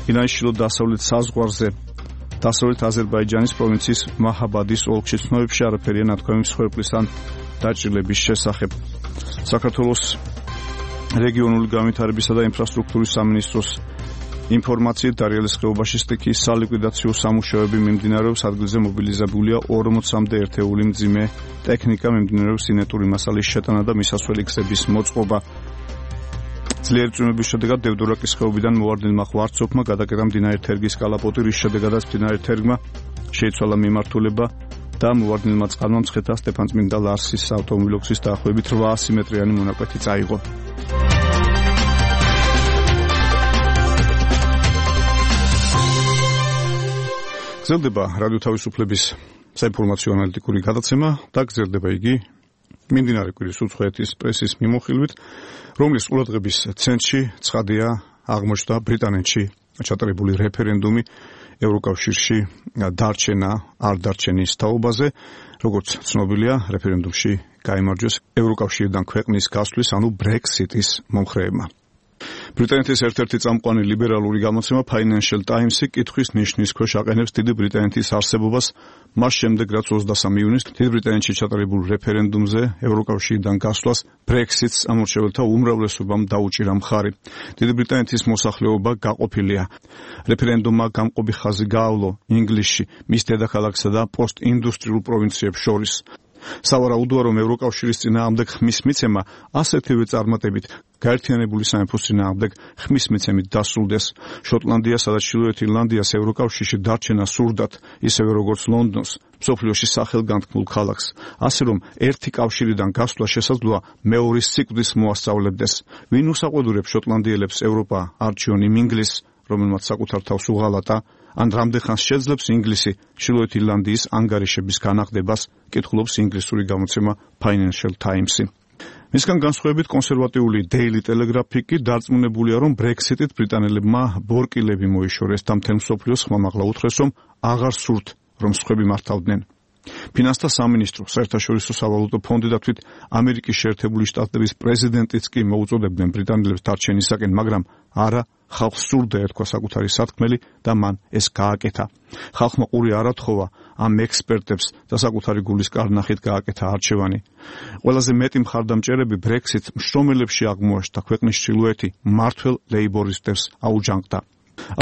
ირანის ჩრდილო-დასავლეთ საზღვარზე, დასავლეთ აზერბაიჯანის პროვინციის მაჰაბადის ოლქში. ცნობებში არაფერია ნათქვამი მსხვერპლის ან დაჭრილების შესახებ. საქართველოს რეგიონული განვითარებისა და ინფრასტრუქტურის სამინისტროს ინფორმაციით დარიელის ხეობაში სტიქიის სალიკვიდაციო სამუშაოები მიმდინარეობს. ადგილზე მობილიზებულია 40-მდე ერთეული მძიმე ტექნიკა, მიმდინარეობს სინეტური მასალის შეტანა და მისასვლელი გზების მოწყობა. ძლიერი წვიმების შედეგად დევდორაკის ხეობიდან მოვარდნილმა ღვარცოფმა გადაკეტა მდინარე თერგის კალაპოტი, რის შედეგადაც მდინარე თერგმა შეიცვალა მიმართულება და მოვარდნილმა წყალმა მცხეთა სტეფანწმინდა ლარსის ავტომობილო გზის დაახლოებით 800 მეტრიანი მონაკვეთი წაიღო. გრძელდება რადიო თავისუფლების საინფორმაციო ანალიტიკური გადაცემა და გრძელდება იგი მიმდინარე კვირის უცხოეთის პრესის მიმოხილვით, რომლის ყურადღების ცენტრში ცხადია აღმოჩნდა ბრიტანეთში ჩატარებული რეფერენდუმი ევროკავშირში დარჩენა არ დარჩენის თაობაზე. როგორც ცნობილია, რეფერენდუმში გაიმარჯვეს ევროკავშირიდან ქვეყნის გასვლის, ანუ ბრექსიტის მომხრეებმა. ბრიტანეთის ერთ-ერთი წამყვანი ლიბერალური გამოცემა Financial Times-ი კითხვის ნიშნის ქვეშ აყენებს დიდი ბრიტანეთის არსებობას მას შემდეგ, რაც 23 ივნისს დიდი ბრიტანეთში ჩატარებულ რეფერენდუმზე ევროკავშირიდან გასვლას ბრექსიტს ამორჩეველთა უმრავლესობამ დაუჭირა მხარი. დიდი ბრიტანეთის მოსახლეობა გაყოფილია. რეფერენდუმმა გამყოფი ხაზი გაავლო ინგლისში, მის დედაქალაქსა და პოსტინდუსტრიულ პროვინციებს შორის. სავარაუდოა, რომ ევროკავშირის წინააღმდეგ ხმის მიცემა ასეთივე წარმატებით გაერთიანებული სამეფოს წინააღმდეგ ხმის მიცემით დასრულდეს. შოტლანდიასა და ჩრდილოეთ ირლანდიას ევროკავშირში დარჩენა სურდათ, ისევე როგორც ლონდონს, მსოფლიოში სახელგანთქმულ ქალაქს, ასე რომ ერთი კავშირიდან გასვლა შესაძლოა მეორის სიკვდილს მოასწავლებდეს. ვინ უსაყვედურებს შოტლანდიელებს ევროპა არჩიონ იმ ინგლისს, რომელმაც საკუთარ თავს უღალატა, ან რამდენხანს შეძლებს ინგლისი ჩრდილოეთ ირლანდიის ანგარიშების განახდებას, კითხულობს ინგლისური გამოცემა Financial Times-ი. მისგან განსხვავებით კონსერვატიული Daily Telegraph-ი კი დარწმუნებულია, რომ ბრექსიტით ბრიტანელებმა ბორკილები მოიშორეს და მთელ მსოფლიოს ხმამაღლა უთხრეს, რომ აღარ სურთ, რომ სხვები მართავდნენ. ფინანსთა სამინისტრო, საერთაშორისო სავალუტო ფონდი და თვით ამერიკის შეერთებული შტატების პრეზიდენტიც კი მოუწოდებდნენ ბრიტანელებს დარჩენისაკენ, მაგრამ არა, ხალხს სურდა ერქვა საკუთარი სათქმელი და მან ეს გააკეთა. ხალხმა ყური არ ათხოვა ამ ექსპერტებს და საკუთარი გულის კარნახით გააკეთა არჩევანი. ყველაზე მეტი მხარდამჭერები ბრექსიტ მშრომელებში აღმოაჩნდა, ქვეყნის ჩრდილოეთი მმართველ ლეიბორისტებს აუჯანყდა.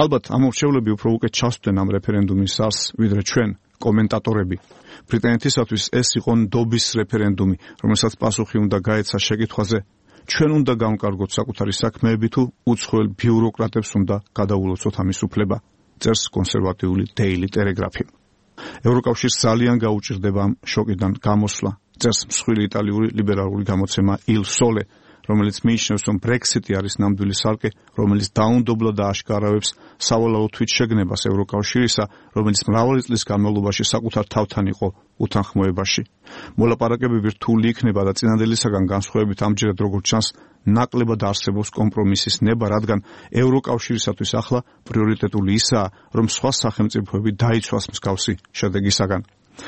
ალბათ ამორჩევლები უფრო უკეთ ჩასვდნენ ამ რეფერენდუმის არსს, ვიდრე ჩვენ, კომენტატორები. ბრიტანეთისათვის ეს იყო ნდობის რეფერენდუმი, რომელსაც პასუხი უნდა გაეცა შეკითხვაზე, ჩვენ უნდა გავკარგოთ საკუთარი საქმეები თუ უცხოელ ბიუროკრატებს უნდა გადაულოცოთ ამის უფლება, წერს კონსერვატიული Daily Telegraph-ი. ევროკავშირს ძალიან გაუჭირდება ამ შოკიდან გამოსვლა, წერს მსხვილი იტალიური ლიბერალური გამოცემა Il Sole, რომელიც მიიჩნევს, რომ Brexit-ი არის ნამდვილი სარკე, რომელიც დაუნდობლად ააშკარავებს სავალალო თვითშეგნებას ევროკავშირისა, რომელიც მრავალი წლის განმავლობაში საკუთარ თავთან იყო უთანხმოებაში. მოლაპარაკებები რთული იქნება და წინადელისაგან განსხვავებით ამჯერად როგორც ჩანს, ნაკლებად არსებობს კომპრომისის ნება, რადგან ევროკავშირისათვის ახლა პრიორიტეტული ისაა, რომ სხვა სახელმწიფოები დაიცვას მსგავსი შედეგისაგან.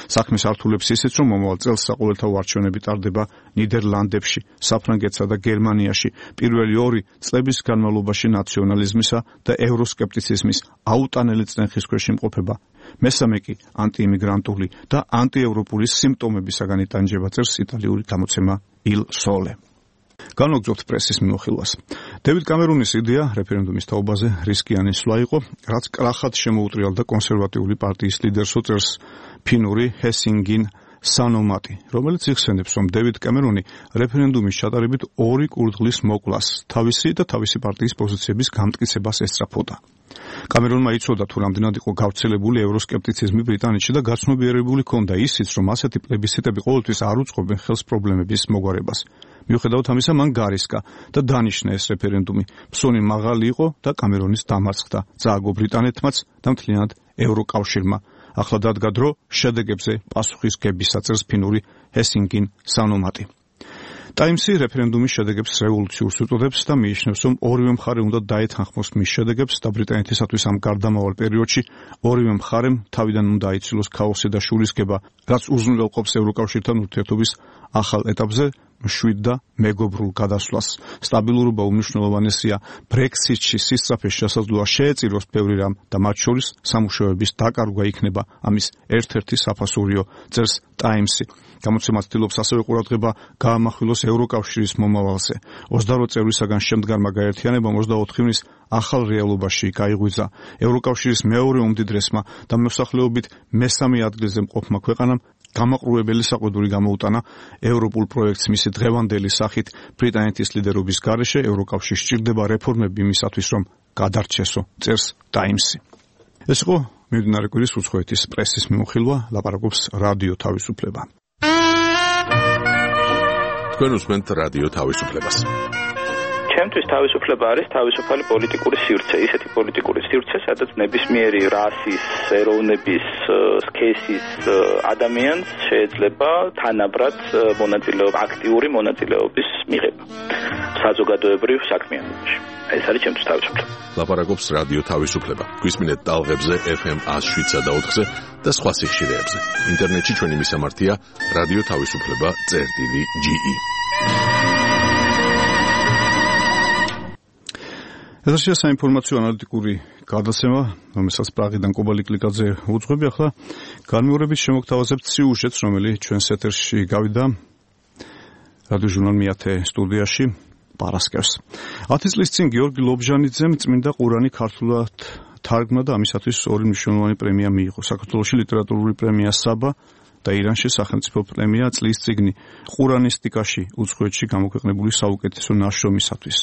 საქმეს ართულებს ისიც, რომ მომავალ წელს საყოველთაო არჩევნები ტარდება ნიდერლანდებში, საფრანგეთსა და გერმანიაში, პირველი 2 წლების განმავლობაში ნაციონალიზმისა და ევროსკეპტიციზმის აუტანელი წნეხის ქვეშ იმყოფება. მესამე კი ანტიიმიგრანტული და ანტიევროპული სიმპტომებისაგან იტანჯება, წერს იტალიური გამოცემა Il Sole. განვაგრძობთ პრესის მიმოხილვას. დევიდ კამერუნის იდეა რეფერენდუმის თაობაზე რისკიანი სვლა იყო, რაც კრახად შემოუტრიალდა კონსერვატიული პარტიის ლიდერს, წერს ფინური ჰესინგინ სანომატი, რომელიც იხსენებს, რომ დევიდ კამერუნი რეფერენდუმის ჩატარებით 2 კურდღლის მოკვლას, თავისი და თავისი პარტიის პოზიციების გამტკიცებას ესწრაფოდა. კამერუნმა იცოდა, თუ რამდენად იყო გავრცელებული ევროსკეპტიციზმი ბრიტანეთში და გაცნობიერებული ჰქონდა ისიც, რომ ასეთი პლებისციტები ყოველთვის არ უწყობენ ხელს პრობლემების მოგვარებას. მიუხედავად ამისა, მან გარისკა და დანიშნა ეს რეფერენდუმი. ფსონი მაღალი იყო და კამერუნის დამარცხდა. წააგო ბრიტანეთმაც და მთლიანად ევროკავშირმა. ახლა დადგა დრო შედეგებზე პასუხის გებისა, წერს ფინური ჰესინგინ სანომატი. ტაიმსი რეფერენდუმის შედეგებს რევოლუციურს უწოდებს და მიიჩნევს, რომ ორივე მხარე უნდა დაეთანხმოს მის შედეგებს და ბრიტანეთისათვის ამ გარდამავალ პერიოდში ორივე მხარემ თავიდან უნდა აიცილოს ქაოსი და შურისკება, რაც უზრუნველყოფს ევროკავშირთან ურთიერთობის ახალ ეტაპზე მშვიდ და მეგობრულ გადასვლას. სტაბილურობა უმნიშვნელოვანესია. Brexit-ში სისწრაფეს შესაძლოა შეეწიროს ბევრი რამ და მათ შორის სამუშაოების დაკარგვა იქნება ამის ერთ-ერთი საფასურიო, წერს ტაიმსი. გამოცემა ცდილობს ასევე ყურადღება გაამახვილოს ევროკავშირის მომავალზე. 28 წევრისაგან შემდგარმა გაერთიანებამ 24 ივნის ახალ რეალობაში გაიღვიძა. ევროკავშირის მეორე უმდიდრესმა და მოსახლეობით მესამე ადგილზე მყოფმა ქვეყანამ გამაყრუებელი საყვედური გამოუტანა ევროპულ პროექტს მისი დღევანდელი სახით. ბრიტანეთის ლიდერობის გარეშე ევროკავშირი სჭირდება რეფორმები იმისათვის, რომ გადარჩესო, წერს ტაიმსი. ეს იყო მიმდინარე კვირის უცხოეთის პრესის მიმოხილვა, ლაპარაკობს რადიო თავისუფლება. თქვენ უსმენთ რადიო თავისუფლებას. ჩემთვის თავისუფლება არის თავისუფალი პოლიტიკური სივრცე, ისეთი პოლიტიკური სივრცე, სადაც ნებისმიერი რასის, ეროვნების, სქესის ადამიანს შეიძლება თანაბრად აქტიური მონაწილეობის მიღება საზოგადოებრივ საქმიანობაში. ეს არის ჩემთვის თავისუფლება. ლაპარაკობს რადიო თავისუფლება. გვისმინეთ ტალღებზე FM 107 და 4-ზე და სხვა სიხშირეებზე. ინტერნეტში ჩვენი მისამართია რადიო თავისუფლება.ge. ეთერშია საინფორმაციო ანალიტიკური გადაცემა, რომელსაც პრაღიდან კობალი კლიკაძე უძღვები. ახლა განმეორებით შემოგთავაზებთ სიუჟეტს, რომელიც ჩვენს ეთერში გავიდა რადიოჟურნალ მეათე სტუდიაში პარასკევს. 10 წლის წინ გიორგი ლობჟანიძემ წმინდა ყურანი ქართულად თარგმნა და ამისათვის 2 მნიშვნელოვანი პრემია მიიღო. საქართველოში ლიტერატურული პრემია საბა და ირანში სახელმწიფო პრემია წლის წიგნი ყურანისტიკაში უცხოეთში გამოქვეყნებული საუკეთესო ნაშრომისათვის.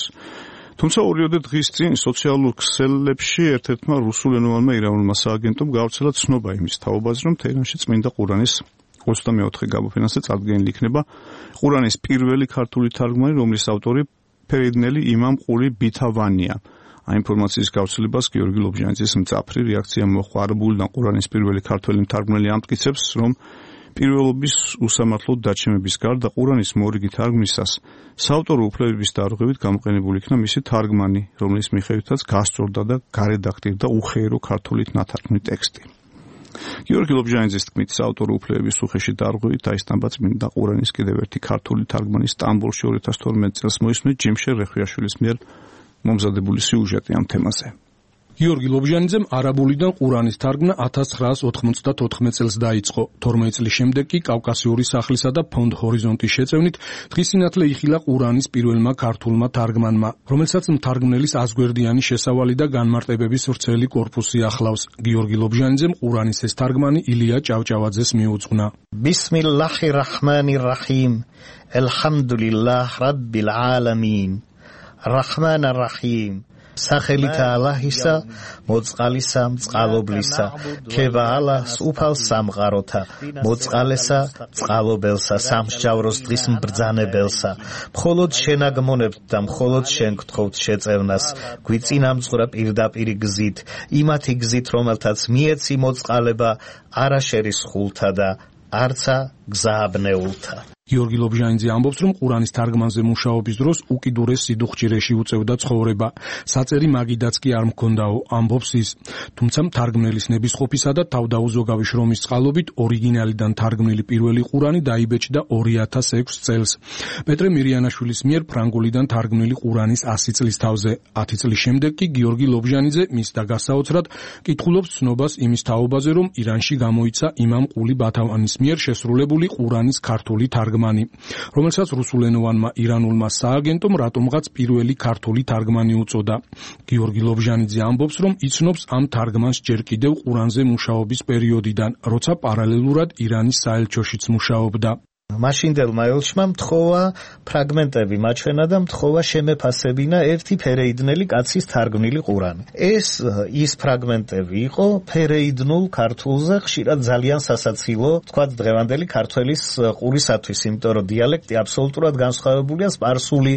თუმცა ორიოდე დღის წინ სოციალურ ქსელებში ერთ-ერთმა რუსულენოვანმა ირანულმა სააგენტომ გავრცელა ცნობა იმის თაობაზე, რომ თეირანში წმინდა ყურანის 24 გამოფენაზე წარდგენილი იქნება ყურანის პირველი ქართული თარგმანი, რომლის ავტორი ფერიდნელი იმამ ყული ბითავანია. ამ ინფორმაციის გავრცელებას გიორგი ლობჟანიძის მძაფრი რეაქცია მოჰყვა. არაბულიდან ყურანის პირველი ქართველი მთარგმნელი ამტკიცებს, რომ პირველობის უსამართლოდ დაჩემების გარდა ყურანის მორიგი თარგმნისას საავტორო უფლებების დარღვევით გამოყენებული იქნა მისი თარგმანი, რომლის მიხედვითაც გასწორდა და გარედაქტირდა უხეირო ქართულით ნათარგმნი ტექსტი. გიორგი ლობჟანიძის თქმით, საავტორო უფლებების უხეში დარღვევით აისტამბა წმინდა ყურანის კიდევ ერთი ქართული თარგმანი სტამბოლში 2012 წელს მოისმენთ ჯიმშერ რეხვიაშვილის მიერ მომზადებული სიუჟეტი ამ თემაზე. გიორგი ლობჟანიძემ არაბულიდან ყურანის თარგმნა 1994 წელს დაიწყო. 12 წლის შემდეგ კი კავკასიური სახლისა და ფონდ ჰორიზონტის შეწევნით დღის სინათლე იხილა ყურანის პირველმა ქართულმა თარგმანმა, რომელსაც მთარგმნელის აზგვერდიანი შესავალი და განმარტებების ვრცელი კორპუსი ახლავს. გიორგი ლობჟანიძემ ყურანის ეს თარგმანი ილია ჭავჭავაძეს მიუძღვნა. ბისმილლაჰი რაჰმანი რაჰიმ. Elhamdulillah rabbil alamin. Rahman ar-Rahim. სახელითა ალაჰისა, მოწყალისა, წყალობლისა, ქება ალას უფალ სამყაროთა, მოწყალესა, წყალობელსა, სამსჯავროს დღის mbრძანებელსა. მხოლოდ შენ აგმონებთ და მხოლოდ შენ გთხოვთ შეწევნას, გვიწინამძღვრა პირდაპირი გზით, იმათი გზით, რომელთაც მიეცი მოწყალება, არა შერისხულთა და არცა გზააბნეულთა. გიორგი ლობჟანიძე ამბობს, რომ ყურანის თარგმანზე მუშაობის დროს უკიდურეს სიდუხჭირეში უწევდა ცხოვრება. საწერი მაგიდაც კი არ მქონდაო, ამბობს ის. თუმცა მთარგმნელის ნებისყოფისა და თავდაუზოგავი შრომის წყალობით ორიგინალიდან თარგმნილი პირველი ყურანი დაიბეჭდა 2006 წელს. პეტრე მირიანაშვილის მიერ ფრანგულიდან თარგმნილი ყურანის 100 წლის თავზე. 10 წლის შემდეგ კი გიორგი ლობჟანიძე მის და გასაოცრად კითხულობს ცნობას იმის თაობაზე, რომ ირანში გამოიცა იმამ ყული ბათავანის მიერ შესრულებული ყურანის ქართული თარგმანი, რომელსაც რუსულენოვანმა ირანულმა სააგენტომ რატომღაც პირველი ქართული თარგმანი უწოდა. გიორგი ლობჟანიძე ამბობს, რომ იცნობს ამ თარგმანს ჯერ კიდევ ყურანზე მუშაობის პერიოდიდან, როცა პარალელურად ირანის საელჩოშიც მუშაობდა. მაშინდელმა ელჩმა მთხოვა ფრაგმენტები მაჩვენა და მთხოვა შემეფასებინა ერთი ფერეიდნელი კაცის თარგმნილი ყურანი. ეს ის ფრაგმენტები იყო ფერეიდნულ ქართულზე, ხშირად ძალიან სასაცილო, თქვათ დღევანდელი ქართველის ყურისათვის, იმიტომ რომ დიალექტი აბსოლუტურად განსხვავებულია სპარსული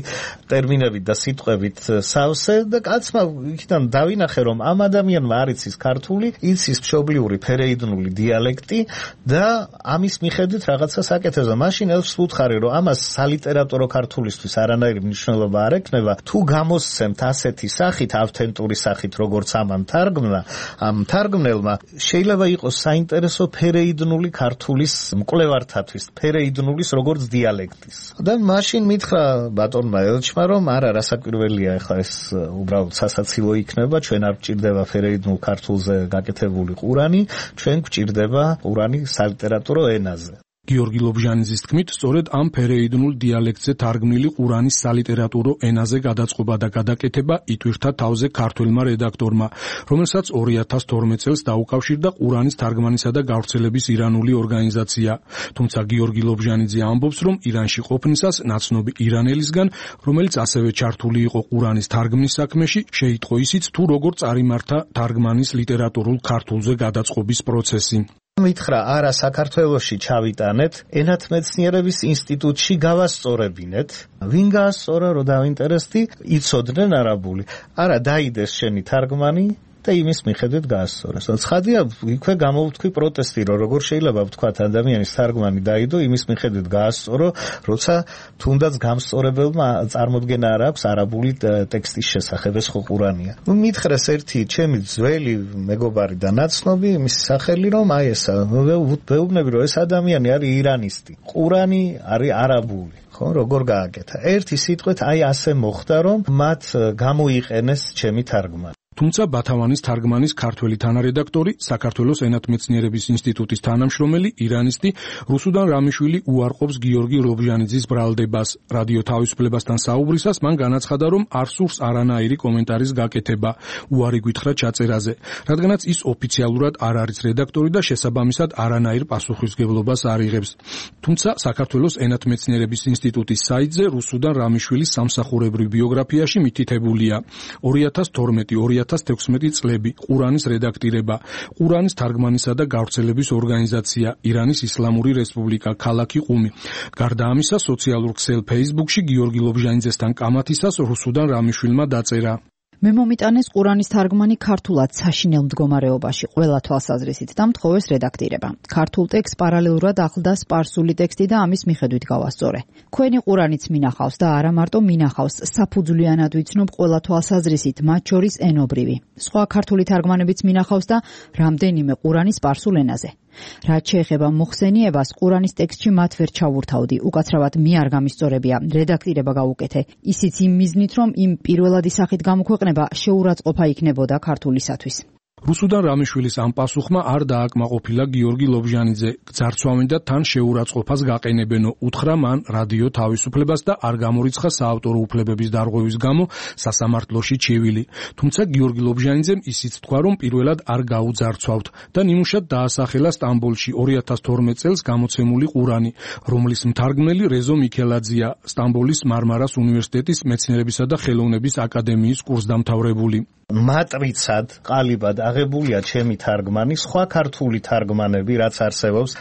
ტერმინებით და სიტყვებით სავსე და კაცმა იქიდან დავინახე, რომ ამ ადამიანმა არ იცის ქართული, იცის მშობლიური ფერეიდნული დიალექტი და ამის მიხედვით რაღაცას აკეთებს. მაშინ ელჩს ვუთხარი, რომ ამას სალიტერატურო ქართულისთვის არანაირი მნიშვნელობა არ ექნება, თუ გამოსცემთ ასეთი სახით, ავთენტური სახით, როგორც ამან თარგმნა, ამ თარგმნელმა შეიძლება იყოს საინტერესო ფერეიდნული ქართულის მკვლევართათვის, ფერეიდნულის როგორც დიალექტის. და მაშინ მითხრა ბატონმა ელჩმა, რომ არა, რასაკვირველია, ეხლა ეს უბრალოდ სასაცილო იქნება, ჩვენ არ გვჭირდება ფერეიდნულ ქართულზე გაკეთებული ყურანი, ჩვენ გვჭირდება ყურანი სალიტერატურო ენაზე. გიორგი ლობჟანიძის თქმით, სწორედ ამ ფერეიდნულ დიალექტზე თარგმნილი ყურანის სალიტერატურო ენაზე გადაწყობა და გადაკეთება ითვირთა თავზე ქართველმა რედაქტორმა, რომელსაც 2012 წელს დაუკავშირდა ყურანის თარგმანისა და გავრცელების ირანული ორგანიზაცია. თუმცა გიორგი ლობჟანიძე ამბობს, რომ ირანში ყოფნისას ნაცნობი ირანელისგან, რომელიც ასევე ჩართული იყო ყურანის თარგმნის საქმეში, შეიტყო ისიც, თუ როგორ წარიმართა თარგმანის ლიტერატურულ ქართულზე გადაწყობის პროცესი. მითხრა, არა, საქართველოში ჩავიტანეთ, ენათმეცნიერების ინსტიტუტში გავასწორებინეთ. ვინ გაასწორა, რომ დავინტერესდი, იცოდნენ არაბული. არა, დაიდეს შენი თარგმანი და იმის მიხედვით გაასწორეს. ცხადია, იქვე გამოვთქვი პროტესტი, რომ როგორ შეიძლება ვთქვათ ადამიანის თარგმანი დაიდო, იმის მიხედვით გაასწორო, როცა თუნდაც გამსწორებელმა წარმოდგენა არ აქვს არაბული ტექსტის შესახებ, ეს ხო ყურანია. მითხრეს ერთი ჩემი ძველი მეგობარი და ნაცნობი, მის სახელი რომ აი ესა, ვეუბნები, რომ ეს ადამიანი არის ირანისტი. ყურანი არის არაბული. ხო, როგორ გააკეთა? ერთი სიტყვით აი ასე მოხდა, რომ მათ გამოიყენეს ჩემი თარგმანი. თუმცა ბათავანის თარგმანის ქართველი თანარედაქტორი, საქართველოს ენათმეცნიერების ინსტიტუტის თანამშრომელი, ირანისტი რუსუდან რამიშვილი უარყოფს გიორგი ლობჟანიძის ბრალდებას. რადიო თავისუფლებასთან საუბრისას მან განაცხადა, რომ არ სურს არანაირი კომენტარის გაკეთება, უარი გითხრა ჩაწერაზე, რადგანაც ის ოფიციალურად არ არის რედაქტორი და შესაბამისად არანაირ პასუხისმგებლობას არ იღებს. თუმცა საქართველოს ენათმეცნიერების ინსტიტუტის საიტზე რუსუდან რამიშვილის სამსახურებრივ ბიოგრაფიაში მითითებულია 2012-2016 წლები, ყურანის რედაქტირება, ყურანის თარგმანისა და გავრცელების ორგანიზაცია, ირანის ისლამური რესპუბლიკა, ქალაქი ყუმი. გარდა ამისა, სოციალურ ქსელ Facebook-ში გიორგი ლობჟანიძესთან კამათისას რუსუდან რამიშვილმა დაწერა. მე მომიტანეს ყურანის თარგმანი ქართულად საშინელ მდგომარეობაში ყველა თვალსაზრისით და მთხოვეს რედაქტირება. ქართულ ტექსტს პარალელურად ახლდა სპარსული ტექსტი და ამის მიხედვით გავასწორე. ქვენი ყურანიც მინახავს და არა მარტო მინახავს, საფუძვლიანად ვიცნობ ყველა თვალსაზრისით, მათ შორის ენობრივი. სხვა ქართული თარგმანებიც მინახავს და რამდენიმე ყურანი სპარსულ ენაზე. რაც შეეხება მოხსენიებას, ყურანის ტექსტში მათ ვერ ჩავურთავდი, უკაცრავად მე არ გამისწორებია, რედაქტირება გავუკეთე. ისიც იმ მიზნით, რომ იმ პირველადი სახით გამოქვეყნება შეურაცხყოფა იქნებოდა ქართულისათვის. რუსუდან რამიშვილის ამ პასუხმა არ დააკმაყოფილა გიორგი ლობჟანიძე. გძარცვავენ და თან შეურაცხყოფას გაყენებენო. უთხრა მან რადიო თავისუფლებას და არ გამორიცხა საავტორო უფლებების დარღვევის გამო სასამართლოში ჩივილი. თუმცა გიორგი ლობჟანიძემ ისიც თქვა, რომ პირველად არ გაუძარცვავთ და ნიმუშად დაასახელა სტამბოლში 2012 წელს გამოცემული ყურანი, რომლის მთარგმნელი რეზო მიქელაძეა, სტამბოლის მარმარას უნივერსიტეტის მეცნიერებისა და ხელოვნების აკადემიის კურსდამთავრებული. მატრიცად ყალიბად აღებულია ჩემი თარგმანი, სხვა ქართული თარგმანები, რაც არსებობს,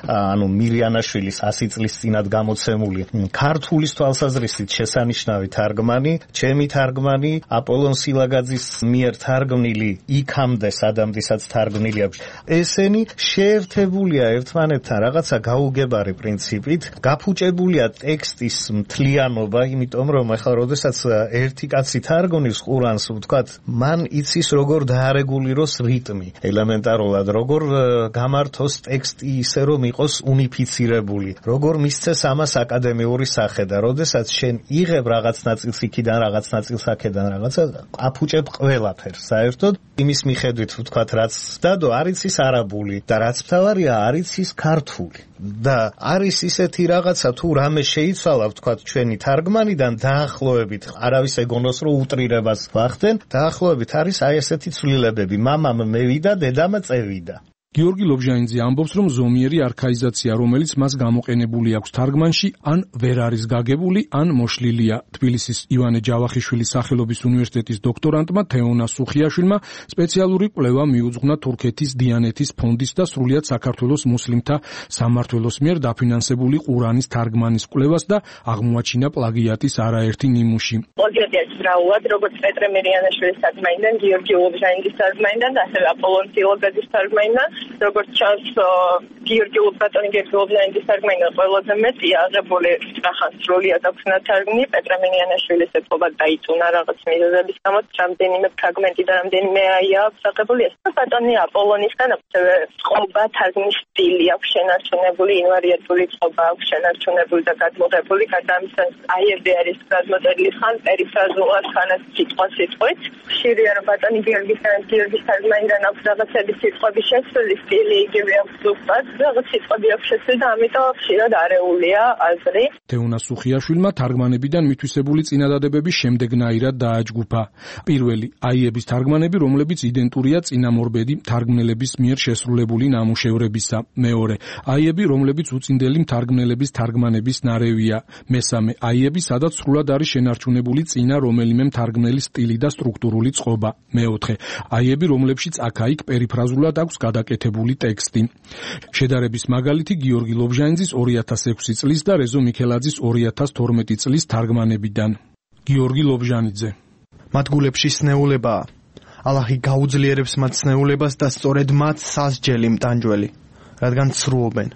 მირიანაშვილის 100 წლის წინათ გამოცემული ქართულის თვალსაზრისით შესანიშნავი თარგმანი, ჩემი თარგმანი, აპოლონ სილაგაძის მიერ თარგმნილი, იქამდე სადამდესაც თარგმნილი აქვს. ესენი შეერთებულია ერთმანეთთან რაღაცა გაუგებარი პრინციპით, გაფუჭებულია ტექსტის მთლიანობა, იმიტომ რომ ახლა როდესაც ერთი კაცი თარგმნის ყურანს, ვთქვათ, მან იცის როგორ დაარეგულიროს რიტმი, ელემენტარულად როგორ გამართოს ტექსტი ისე რომ იყოს უნიფიცირებული, როგორ მისცეს ამას აკადემიური სახე და როდესაც შენ იღებ რაღაც ნაწილს იქიდან, რაღაც ნაწილს აქედან, რაღაცა აფუჭებ ყველაფერს საერთოდ იმის მიხედვით ვთქვათ, რაც დადო არ იცის არაბული და რაც მთავარია არ იცის ქართული და არის ისეთი რაღაცა თუ რამე შეიცვალა ვთქვათ ჩვენი თარგმანიდან დაახლოებით არავის ეგონოს რომ უტრირებას ვახდენ, დაახლოებით არის აი ესეთი ცვლილებები, მამამ მევიდა, დედამ წევიდა. გიორგი ლობჟანიძე ამბობს, რომ ზომიერი არქაიზაცია, რომელიც მას გამოყენებული აქვს თარგმანში, ან ვერ არის გაგებული, ან მოშლილია. თბილისის ივანე ჯავახიშვილის სახელობის უნივერსიტეტის დოქტორანტმა თეონა სუხიაშვილმა სპეციალური კვლევა მიუძღვნა თურქეთის დიანეთის ფონდის და სრულიად საქართველოს მუსლიმთა სამმართველოს მიერ დაფინანსებული ყურანის თარგმანის კვლევას და აღმოაჩინა პლაგიატის არაერთი ნიმუში. პლაგიატი არის რაულად, როგორც პეტრე მირიანაშვილის თარგმანიდან, გიორგი ლობჟანიძის თარგმანიდან და ასევე აპოლონ სილაგაძის თარგმანიდან. როგორც ჩანს, გიორგი ლობჟანიძის თარგმანიდან ყველაზე მეტია აღებული სახან სრულიად აქვს ნათარგმნი, პეტრე მირიანაშვილის ეთყობა დაიწუნა რაღაც მიზეზების გამო, რამდენიმე ფრაგმენტი და რამდენიმე აქვს აღებული. ეს ბატონი აპოლონისგან ასევე წყობა, თარგმნის სტილი აქვს შენარჩუნებული, ინვარიატული წყობა აქვს შენარჩუნებული და გადმოღებული, გადამცემ აიები არის გადმოწერილი ხან პერიფრაზულად, ხანაც სიტყვით. ხშირია რომ ბატონი გიორგის თარგმანიდან აქვს რაღაცები სიტყვების შესწავლილი სტილი იგივე აქვს ზუსტად, რაღაც სიტყვები აქვს შესწავლილი და ამიტომ ხშირად არეულია აზრი. თეონა სუხიაშვილმა თარგმანებიდან მითვისებული წინადადებები შემდეგნაირად დააჯგუფა. პირველი, აიების თარგმანები, რომლებიც იდენტურია წინამორბედი თარგმნელების მიერ შესრულებული ნამუშევრებისა. მეორე, აიები, რომლებიც უწინდელი თარგმნელების თარგმანების ნარევია. მესამე, აიები, სადაც სრულად არის შენარჩუნებული წინა რომელიმე მთარგმნელის სტილი და სტრუქტურული წყობა. მეოთხე, აიები, რომლებშიც აქა-იქ პერიფრაზულად აქვს გადაკეთებული ტექსტი. შედარების მაგალითი გიორგი ლობჟანიძის 2006 წლის და რეზო მიქელაძის 2012 წლის თარგმანებიდან. გიორგი ლობჟანიძე. მათ გულებში სნეულებაა. ალაჰი გაუძლიერებს მათ სნეულებას და სწორედ მათ სასჯელი მტანჯველი, რადგან ცრუობენ.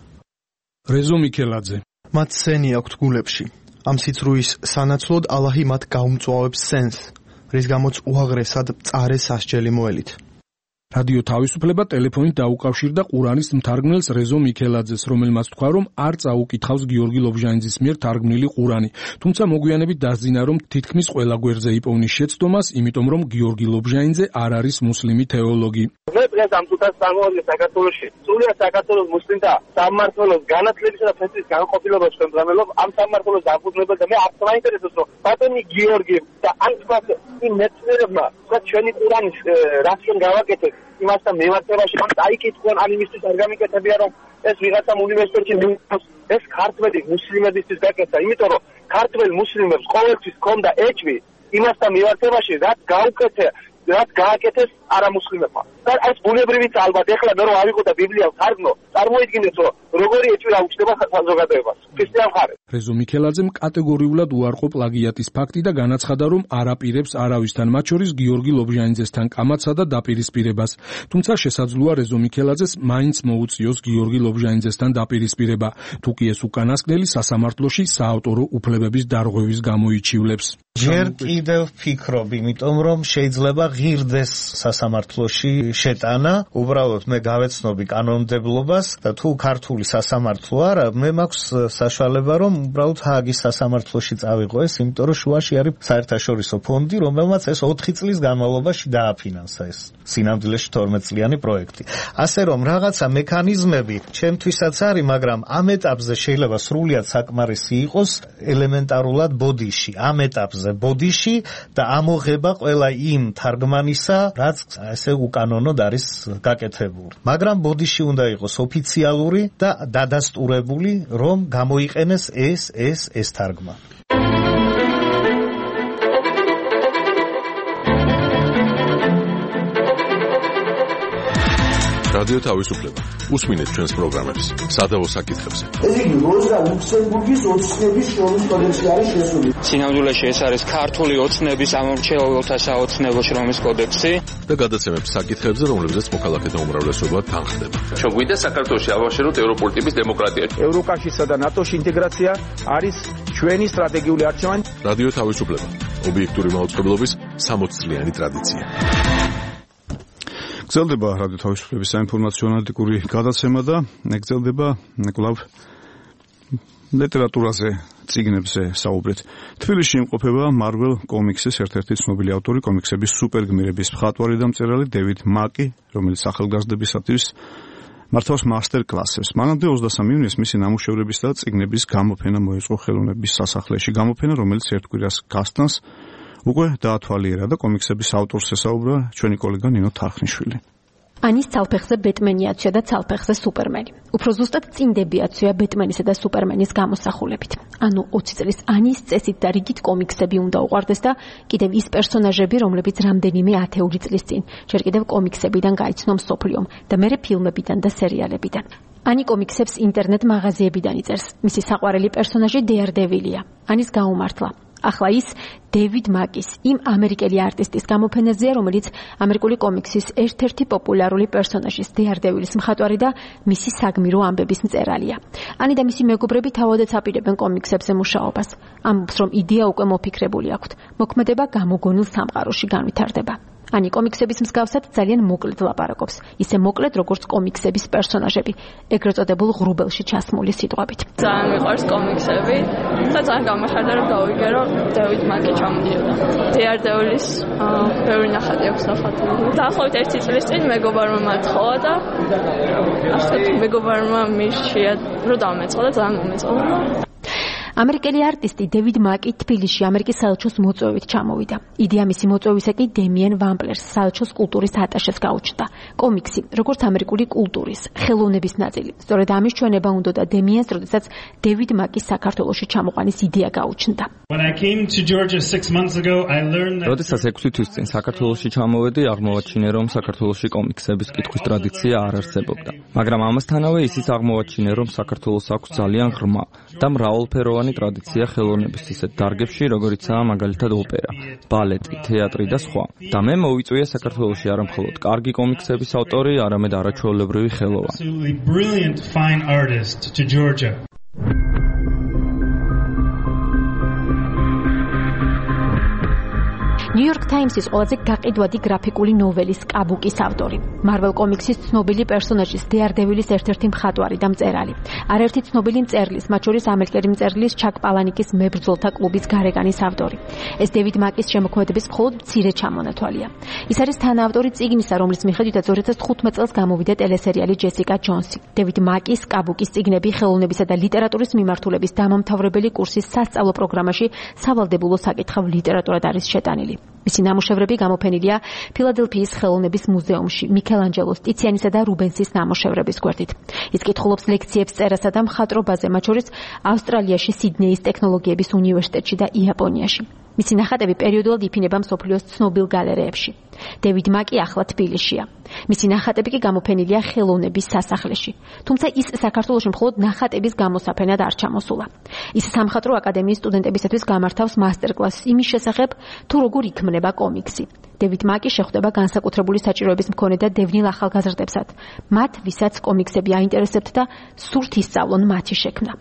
რეზო მიქელაძე. მათ სენი აქვთ გულებში. ამ სიცრუის სანაცვლოდ ალაჰი მათ გაუმწვავებს სენს, რის გამოც უაღრესად მწარე სასჯელი მოელით. რადიო თავისუფლება ტელეფონით დაუკავშირდა ყურანის მთარგმნელს რეზო მიქელაძეს, რომელმაც თქვა, რომ არ წაუკითხავს გიორგი ლობჟანიძის მიერ თარგმნილი ყურანი. თუმცა მოგვიანებით დასძინა, რომ თითქმის ყველა გვერდზე იპოვნის შეცდომას, იმიტომ რომ გიორგი ლობჟანიძე არ არის მუსლიმი თეოლოგი. მე დღეს ამ თუთას წარმოვიდგენ საქართველოში. სრულიად საქართველოს მუსლიმთა სამმართველოს განათლებისა და ფესვის განყოფილებას შემდგრელობ ამ სამმართველოს დაფუძნებელ და მე არ მაინტერესებს რომ ბატონი გიორგი და ამ თქვა იმ მეცნიერებმა ჩვენი ყურანის რაც რომ გავაკეთეთ იმასთან მევარდებაში ან დაიკითხონ ან იმისთვის არ გამიკეთებია რომ ეს ვიღაცამ უნივერსიტეტში ეს ქართველი მუსლიმებისთვის გაკეთა, იმიტომ რომ ქართველ მუსლიმებს ყოველთვის ჰქონდა ეჭვი იმასთან მევარდებაში რაც გაუკეთე, რაც გააკეთეს არამუსლიმებმა. და ეს ბუნებრივიც ალბათ ეხლა მე რომ ავიღო და ბიბლიას თარგმნო, წარმოიდგინეთ რომ როგორი ეჭვი აუჩნდება საზოგადოებას. ქრისტიან მხარეს. რეზო მიქელაძემ კატეგორიულად უარყო პლაგიატის ფაქტი და განაცხადა, რომ არ აპირებს არავისთან, მათ შორის გიორგი ლობჟანიძესთან კამათსა და დაპირისპირებას. თუმცა შესაძლოა რეზო მიქელაძეს მაინც მოუწიოს გიორგი ლობჟანიძესთან დაპირისპირება, თუ კი ეს უკანასკნელი სასამართლოში საავტორო უფლებების დარღვევის გამო იჩივლებს. ჯერ კიდევ ვფიქრობ, იმიტომ რომ შეიძლება ღირდეს სასამართლოში შეტანა, უბრალოდ მე გავეცნობი კანონმდებლობას და თუ ქართული სასამართლო არა, მე მაქვს საშუალება რომ უბრალოდ ჰააგის სასამართლოში წავიღო ეს, იმიტომ რომ შუაში არის საერთაშორისო ფონდი, რომელმაც ეს 4 წლის განმავლობაში დააფინანსა ეს სინამდვილეში 12 წლიანი პროექტი. ასე რომ რაღაცა მექანიზმები ჩემთვისაც არის, მაგრამ ამ ეტაპზე შეიძლება სრულიად საკმარისი იყოს ელემენტარულად ბოდიში, ამ ეტაპზე ბოდიში და ამოღება ყველა იმ თარგმანისა, რაც ესე უკანონოდ არის გაკეთებული. მაგრამ ბოდიში უნდა იყოს ოფიციალური და დადასტურებული, რომ გამოიყენეს ეს თარგმანი. რადიო თავისუფლება. უსმინეთ ჩვენს პროგრამებს სადავო საკითხებზე. ეს იგი როზა ლუქსემბურგის ოცნების შრომის კოდექსი არის შესული. სინამდვილეში ეს არის ქართული ოცნების ამორჩეულთა საოცნებო შრომის კოდექსი და გადაცემებს საკითხებზე, რომლებზეც მოქალაქეთა უმრავლესობა თანხდება. ჩვენ გვინდა საქართველოში ავაშენოთ ევროპული ტიპის დემოკრატია. ევროკავშირსა და ნატოში ინტეგრაცია არის ჩვენი სტრატეგიული არჩევანი. რადიო თავისუფლება. ობიექტური მაუწყებლობის 60 წლიანი ტრადიცია. გრძელდება რადიო თავისუფლების საინფორმაციო ანალიტიკური გადაცემა და გრძელდება კვლავ ლიტერატურაზე, წიგნებზე საუბრეთ. თბილისში იმყოფება Marvel Comics-ის ერთ-ერთი ცნობილი ავტორი, კომიქსების სუპერგმირების მხატვარი და მწერალი დევიდ მაკი, რომელიც ახალგაზრდებისათვის მართავს მასტერ კლასებს. მანამდე 23 ივნისს მისი ნამუშევრების და წიგნების გამოფენა მოეწყო ხელოვნების სასახლეში. გამოფენა, რომელიც ერთ კვირას გასტანს, უკვე დაათვალიერა და კომიქსების ავტორს ესაუბრა ჩვენი კოლეგა ნინო თარხნიშვილი. ანის ცალფეხზე ბეტმენი აცვია და ცალფეხზე სუპერმენი. უფრო ზუსტად წინდები აცვია ბეტმენისა და სუპერმენის გამოსახულებით. ანუ 20 წლის ანის წესით და რიგით კომიქსები უნდა უყვარდეს და კიდევ ის პერსონაჟები, რომლებიც რამდენიმე ათეული წლის წინ ჯერ კიდევ კომიქსებიდან გაიცნო მსოფლიომ და მერე ფილმებიდან და სერიალებიდან. ანი კომიქსებს ინტერნეტ მაღაზიებიდან იწერს. მისი საყვარელი პერსონაჟი დეარდევილია. ანის გაუმართლა. ახლა ის დევიდ მაკის, იმ ამერიკელი არტისტის გამოფენაზეა, რომელიც ამერიკული კომიქსის ერთ-ერთი პოპულარული პერსონაჟის დეარდევილის მხატვარი და მისი საგმირო ამბების მწერალია. ანი და მისი მეგობრები თავადაც აპირებენ კომიქსებზე მუშაობას. ამბობს, რომ იდეა უკვე მოფიქრებული აქვთ. მოქმედება გამოგონილ სამყაროში განვითარდება. ანი კომიქსების მსგავსად ძალიან მოკლედ ლაპარაკობს. ისე მოკლედ, როგორც კომიქსების პერსონაჟები, ეგრეთ წოდებულ ღრუბელში ჩასმული სიტყვებით. ძალიან მიყვარს კომიქსები და ძალიან გამახარდა, რომ გავიგე, რომ დევიდ მაკი ჩამოდიოდა. დეარდევილის ბევრი ნახატი აქვს დახატული. დაახლოებით 1 წლის წინ მეგობარმა მათხოვა და ასე მეგობარმა მირჩია, რომ დამეწყო და ძალიან მომეწყო. ამერიკელი არტისტი დევიდ მაკი თბილისში ამერიკის საელჩოს მოწვევით ჩამოვიდა. იდეა მისი მოწვევისა კი დემიენ ვამპლერს, საელჩოს კულტურის ატაშეს გაუჩნდა. კომიქსი, როგორც ამერიკული კულტურის, ხელოვნების ნაწილი. სწორედ ამის ჩვენება უნდა და დემიენს, როდესაც დევიდ მაკის საქართველოში ჩამოყვანის იდეა გაუჩნდა. როდესაც 6 თვის წინ საქართველოში ჩამოვედი, აღმოვაჩინე, რომ საქართველოში კომიქსების კითხვის ტრადიცია არ არსებობდა. მაგრამ ამასთანავე ისიც აღმოვაჩინე, რომ საქართველოს აქვს ძალიან ღრმა და მრავალფეროვანი ტრადიცია ხელოვნების ისეთ დარგებში, როგორიცაა მაგალითად ოპერა, ბალეტი, თეატრი და სხვა. და მე მოვიწვია საქართველოში არა მხოლოდ კარგი კომიქსების ავტორი, არამედ არაჩვეულებრივი ხელოვანი. New York Times-ის ყველაზე გაყიდვადი გრაფიკული ნოველის კაბუკის ავტორი. Marvel Comics-ის ცნობილი პერსონაჟის დეარდევილის ერთ-ერთი მხატვარი და მწერალი. არაერთი ცნობილი მწერლის, მათ შორის ამერიკელი მწერლის ჩაკ პალანიკის მებრძოლთა კლუბის გარეგანის ავტორი. ეს დევიდ მაკის შემოქმედების მხოლოდ მცირე ჩამონათვალია. ის არის თანაავტორი წიგნისა, რომლის მიხედვითაც 2015 წელს გამოვიდა ტელესერიალი ჯესიკა ჯონსი. დევიდ მაკის კაბუკის წიგნები ხელოვნებისა და ლიტერატურის მიმართულების დამამთავრებელი კურსის სასწავლო პროგრამაში სავალდებულო საკითხავ ლიტერატურად არის შეტანილი. მისი ნამუშევრები გამოფენილია ფილადელფიის ხელოვნების მუზეუმში მიქელანჯელოს, ტიციანისა და რუბენსის ნამუშევრების გვერდით. ის კითხულობს ლექციებს წერასა და მხატვრობაზე, მათ შორის ავსტრალიაში, სიდნეის ტექნოლოგიების უნივერსიტეტში და იაპონიაში. მისი ნახატები პერიოდულად იფინება მსოფლიოს ცნობილ გალერეებში. დევიდ მაკი ახლა თბილისშია. მისი ნახატები კი გამოფენილია ხელოვნების სასახლეში. თუმცა ის საქართველოში მხოლოდ ნახატების გამოსაფენად არ ჩამოსულა. ის სამხატვრო აკადემიის სტუდენტებისათვის გამართავს მასტერკლასს იმის შესახებ, თუ როგორ იქმნება კომიქსი. დევიდ მაკი შეხვდება განსაკუთრებული საჭიროების მქონე და დევნილ ახალგაზრდებსად, მათ, ვისაც კომიქსები აინტერესებთ და სურთ ისწავლონ მათი შექმნა.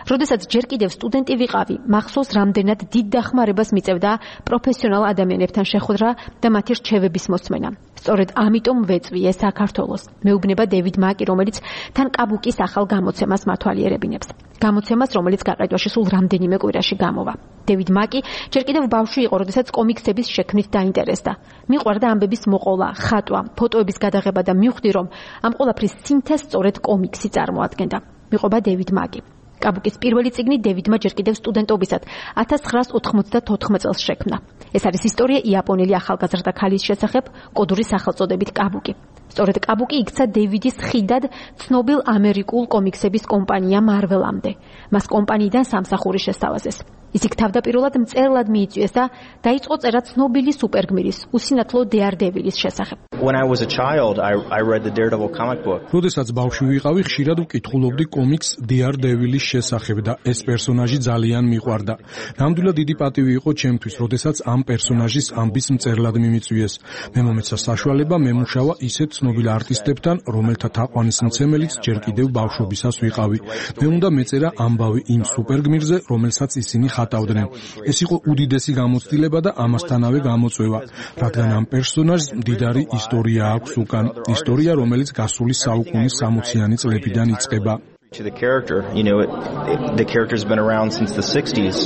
როდესაც ჯერ კიდევ სტუდენტი ვიყავი, მახსოვს რამდენად დიდ დახმარებას მიწევდა პროფესიონალ ადამიანებთან შეხვედრა და მათი რჩევების მოსმენა. სწორედ ამიტომ ვეწვიე საქართველოს. მეუბნება დევიდ მაკი, რომელიც თან კაბუკის ახალ გამოცემას მათვალიერებინებს. გამოცემას, რომელიც გაყიდვაში სულ რამდენიმე კვირაში გამოვა. დევიდ მაკი ჯერ კიდევ ბავშვი იყო, როდესაც კომიქსების შექმნით დაინტერესდა. მიყვარდა ამბების მოყოლა, ხატვა, ფოტოების გადაღება და მივხვდი, რომ ამ ყველაფრის სინთეზს სწორედ კომიქსი წარმოადგენდა. მიყვება დევიდ მაკი. კაბუკის პირველი წიგნი დევიდმა ჯერ კიდევ სტუდენტობისად 1994 წელს შექმნა. ეს არის ისტორია იაპონელი ახალგაზრდა ქალის შესახებ კოდური სახელწოდებით კაბუკი. სწორედ კაბუკი იქცა დევიდის ხიდად ცნობილ ამერიკულ კომიქსების კომპანია Marvel-ამდე. მას კომპანიიდან სამსახური შესთავაზეს. ის იქ თავდაპირველად მწერლად მიიწვიეს და დაიწყო წერა ცნობილი სუპერგმირის, უსინათლო Daredevilis შესახებ. When I was a child, I read the Daredevil comic book. როდესაც ბავშვი ვიყავი, ხშირად ვკითხულობდი კომიքს Daredevilis შესახებ და ეს პერსონაჟი ძალიან მიყვარდა. ნამდვილად დიდი პატივი იყო ჩემთვის, როდესაც ამ პერსონაჟის ამბის მწერლად მიმიწვიეს. მე მომეცა საშუალება მემუშავა ისეთ ცნობილ არტისტებთან, რომელთა თაყვანისმცემელიც ჯერ კიდევ ბავშვობისას ვიყავი. მე უნდა მეწერა ამბავი იმ სუპერგმირზე, რომელსაც ისინი ხატავდნენ. ეს იყო უდიდესი გამოცდილება და ამასთანავე გამოწვევა, რადგან ამ პერსონაჟს მდიდარი ისტორია აქვს უკან, ისტორია, რომელიც გასული საუკუნის 60-იანი წლებიდან იწყება. The character's been around since the 60s.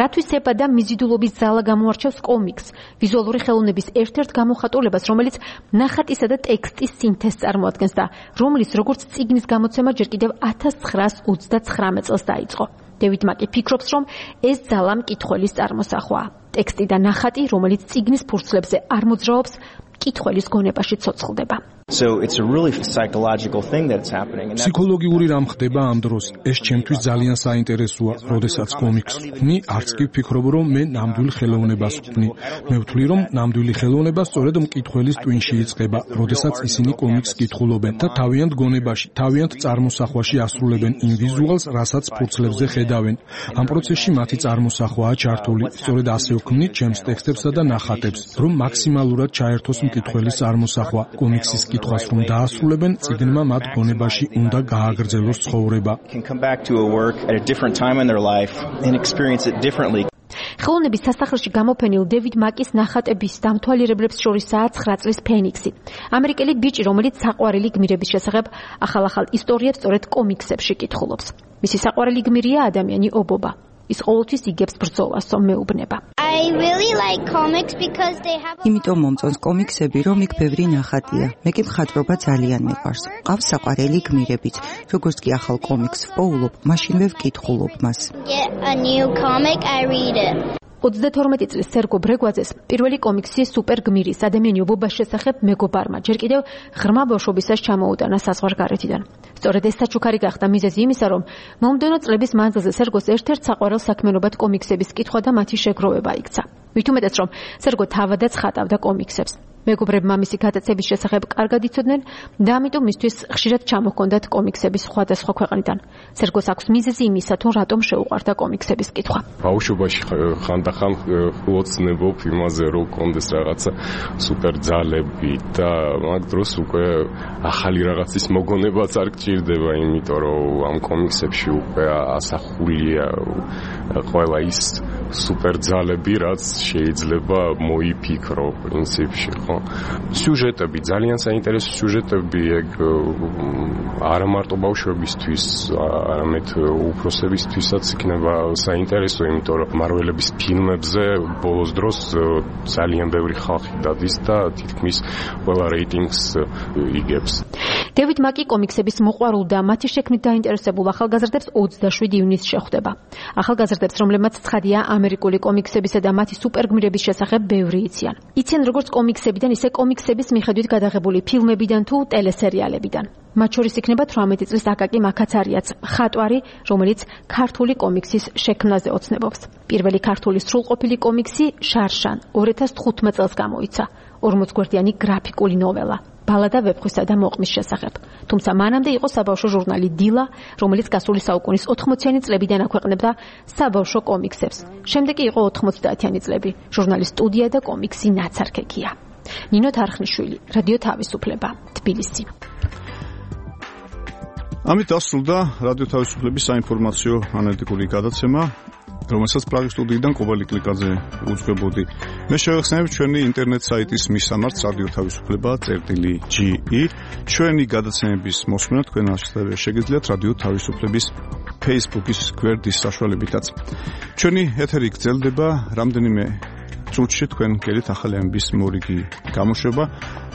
რათვის ეპა და მიზიდულობის ძალა გამოარჩევს კომიქსს, ვიზუალური ხელოვნების ერთ-ერთ გამოხატულებას, რომელიც ნახატისა და ტექსტის სინთეზს წარმოადგენს და რომლის როგორც წიგნის გამოცემა ჯერ კიდევ 1929 წელს დაიწყო. დევიდ მაკი ფიქრობს, რომ ეს ძალა მკითხველის წარმოსახვაა. ტექსტი და ნახატი, რომელიც წიგნის ფურცლებზე არ მოძრაობს, მკითხველის გონებაში ცოცხლდება. So it's a really psychological thing that's happening. ფსიქოლოგიური რამ ხდება ამ დროს. ეს ჩემთვის ძალიან საინტერესოა, როდესაც კომიქსს ვქნი, არც კი ვფიქრობ, რომ მე ნამდვილ ხელოვნებას ვქნი. მე ვთვლი, რომ ნამდვილი ხელოვნება სწორედ მკითხველის ტვინში იწყება, როდესაც ისინი კომიქსს კითხულობენ და თავიანთ გონებაში, თავიანთ წარმოსახვაში ასრულებენ იმ ვიზუალს, რასაც ფურცლებზე ხედავენ. ამ პროცესში მათი წარმოსახვაა ჩართული. სწორედ ასე ვქმნი ჩემს ტექსტებსა და ნახატებს, რომ მაქსიმალურად ჩაერთოს მკითხველის წარმოსახვა. კომიქსის კითხვას რომ დაასრულებენ, წიგნმა მათ გონებაში უნდა გააგრძელოს ცხოვრება. ხელოვნების სასახლეში გამოფენილ დევიდ მაკის ნახატების დამთვალიერებლებს შორისაა 9 წლის ფენიქსი. ამერიკელი ბიჭი, რომელიც საყვარელი გმირების შესახებ ახალ-ახალ ისტორიებს სწორედ კომიქსებში კითხულობს. მისი საყვარელი გმირია ადამიანი ობობა. ის ყოველთვის იგებს ბრძოლას, მეუბნება. იმიტომ მომწონს კომიქსები, რომ იქ ბევრი ნახატია. მე კი მხატვრობა ძალიან მიყვარს. ყავს საყვარელი გმირებიც. როგორც კი ახალ კომიქსს ვპოულობ, მაშინვე ვკითხულობ მას. 32 წლის სერგო ბრეგვაძეს პირველი კომიქსი სუპერგმირის ადამიანი ობობას შესახებ მეგობარმა ჯერ კიდევ ღრმა ბავშვობისას ჩამოუტანა საზღვარგარეთიდან. სწორედ ეს საჩუქარი გახდა მიზეზი იმისა, რომ მომდევნო წლების მანძილზე სერგოს ერთ-ერთ საყვარელ საქმიანობად კომიქსების კითხვა და მათი შეგროვება იქცა. მით უმეტეს, რომ სერგო თავადაც ხატავდა კომიქსებს. მეგობრებმა მისი გადაცემის შესახებ კარგად იცოდნენ და ამიტომ მისთვის ხშირად ჩამოჰქონდათ კომიქსების სხვადასხვა ქვეყნიდან. სერგოს აქვს მიზეზი იმისა, თუ რატომ შეუყვარდა კომიქსების კითხვა. ბავშვობაში ხანდახან ოცნებობ იმაზე, რომ კონდეს რაღაცა სუპერ ძალები და მაგ დროს უკვე ახალი რაღაცის მოგონებაც არ გჭირდება, იმიტომ რომ ამ კომიქსებში უკვე ასახულია ყველა ის სუპერ ძალები, რაც შეიძლება მოიფიქრო პრინციპში. სიუჟეტები, ძალიან საინტერესო სიუჟეტები, ეგ არა მარტო ბავშვებისთვის, არამედ უფროსებისთვისაც იქნება საინტერესო, იმიტომ რომ მარველების ფილმებზე ბოლოს დროს ძალიან ბევრი ხალხი დადის და თითქმის ყველა რეიტინგს იგებს. დევიდ მაკი კომიქსების მოყვარულ და მათი შექმნით დაინტერესებულ ახალგაზრდებს 27 ივნისს შეხვდება. ახალგაზრდებს, რომლებმაც ცხადია ამერიკული კომიქსებისა და მათი სუპერგმირების შესახებ ბევრი იციან. იციან როგორც კომიქსებიდან, ისე კომიქსების მიხედვით გადაღებული ფილმებიდან თუ ტელესერიალებიდან. მათ შორის იქნება 18 წლის აკაკი მაკაცარიაც, მხატვარი, რომელიც ქართული კომიქსის შექმნაზე ოცნებობს. პირველი ქართული სრულყოფილი კომიქსი შარშან 2015 წელს გამოიცა. 40 გვერდიანი გრაფიკული ნოველა. ბალადა ვეფხვისა და მოყმის შესახებ. თუმცა მანამდე იყო საბავშვო ჟურნალი დილა, რომელიც გასული საუკუნის 80-იანი წლებიდან აქვეყნებდა საბავშვო კომიქსებს. შემდეგ კი იყო 90-იანი წლები. ჟურნალის სტუდია და კომიქსი ნაცარქექია. ნინო თარხნიშვილი, რადიო თავისუფლება, თბილისი. ამით დასრულდა რადიო თავისუფლების საინფორმაციო ანალიტიკური გადაცემა, რომელსაც პრაღის სტუდიიდან კობალი კლიკაძე უძღვებოდი. მე შევეხსენებ ჩვენი ინტერნეტ საიტის მისამართს რადიო თავისუფლება.ge. ჩვენი გადაცემების მოსმენა თქვენ ასევე შეგიძლიათ რადიო თავისუფლების Facebook-ის გვერდის საშუალებითაც. ჩვენი ეთერი გრძელდება რამდენიმე წუთში თქვენ გელით ახალი ამბის მორიგი გამოშვება.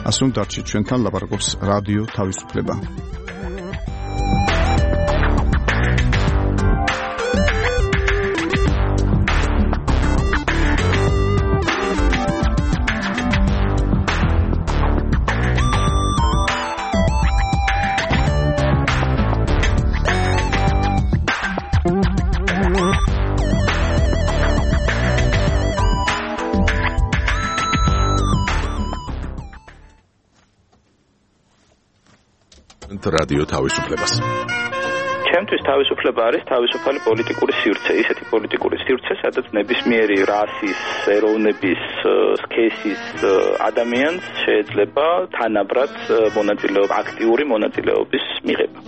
ასე რომ დარჩით ჩვენთან, ლაპარაკობს რადიო თავისუფლება. რადიო თავისუფლებას. ჩემთვის თავისუფლება არის თავისუფალი პოლიტიკური სივრცე, ისეთი პოლიტიკური სივრცე, სადაც ნებისმიერი რასის, ეროვნების, სქესის ადამიანს შეიძლება თანაბრად აქტიური მონაწილეობის მიღება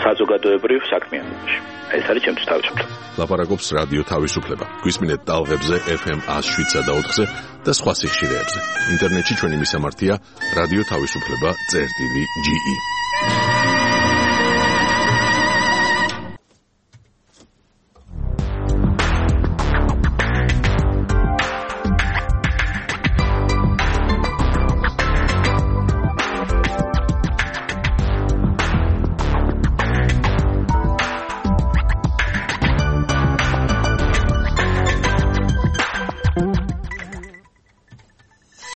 საზოგადოებრივ საქმიანობაში. ეს არის ჩემთვის თავისუფლება. ლაპარაკობს რადიო თავისუფლება. გვისმინეთ ტალღებზე FM 107.4-ზე და სხვა სიხშირეებზე. ინტერნეტში ჩვენი მისამართია რადიო თავისუფლება.ge.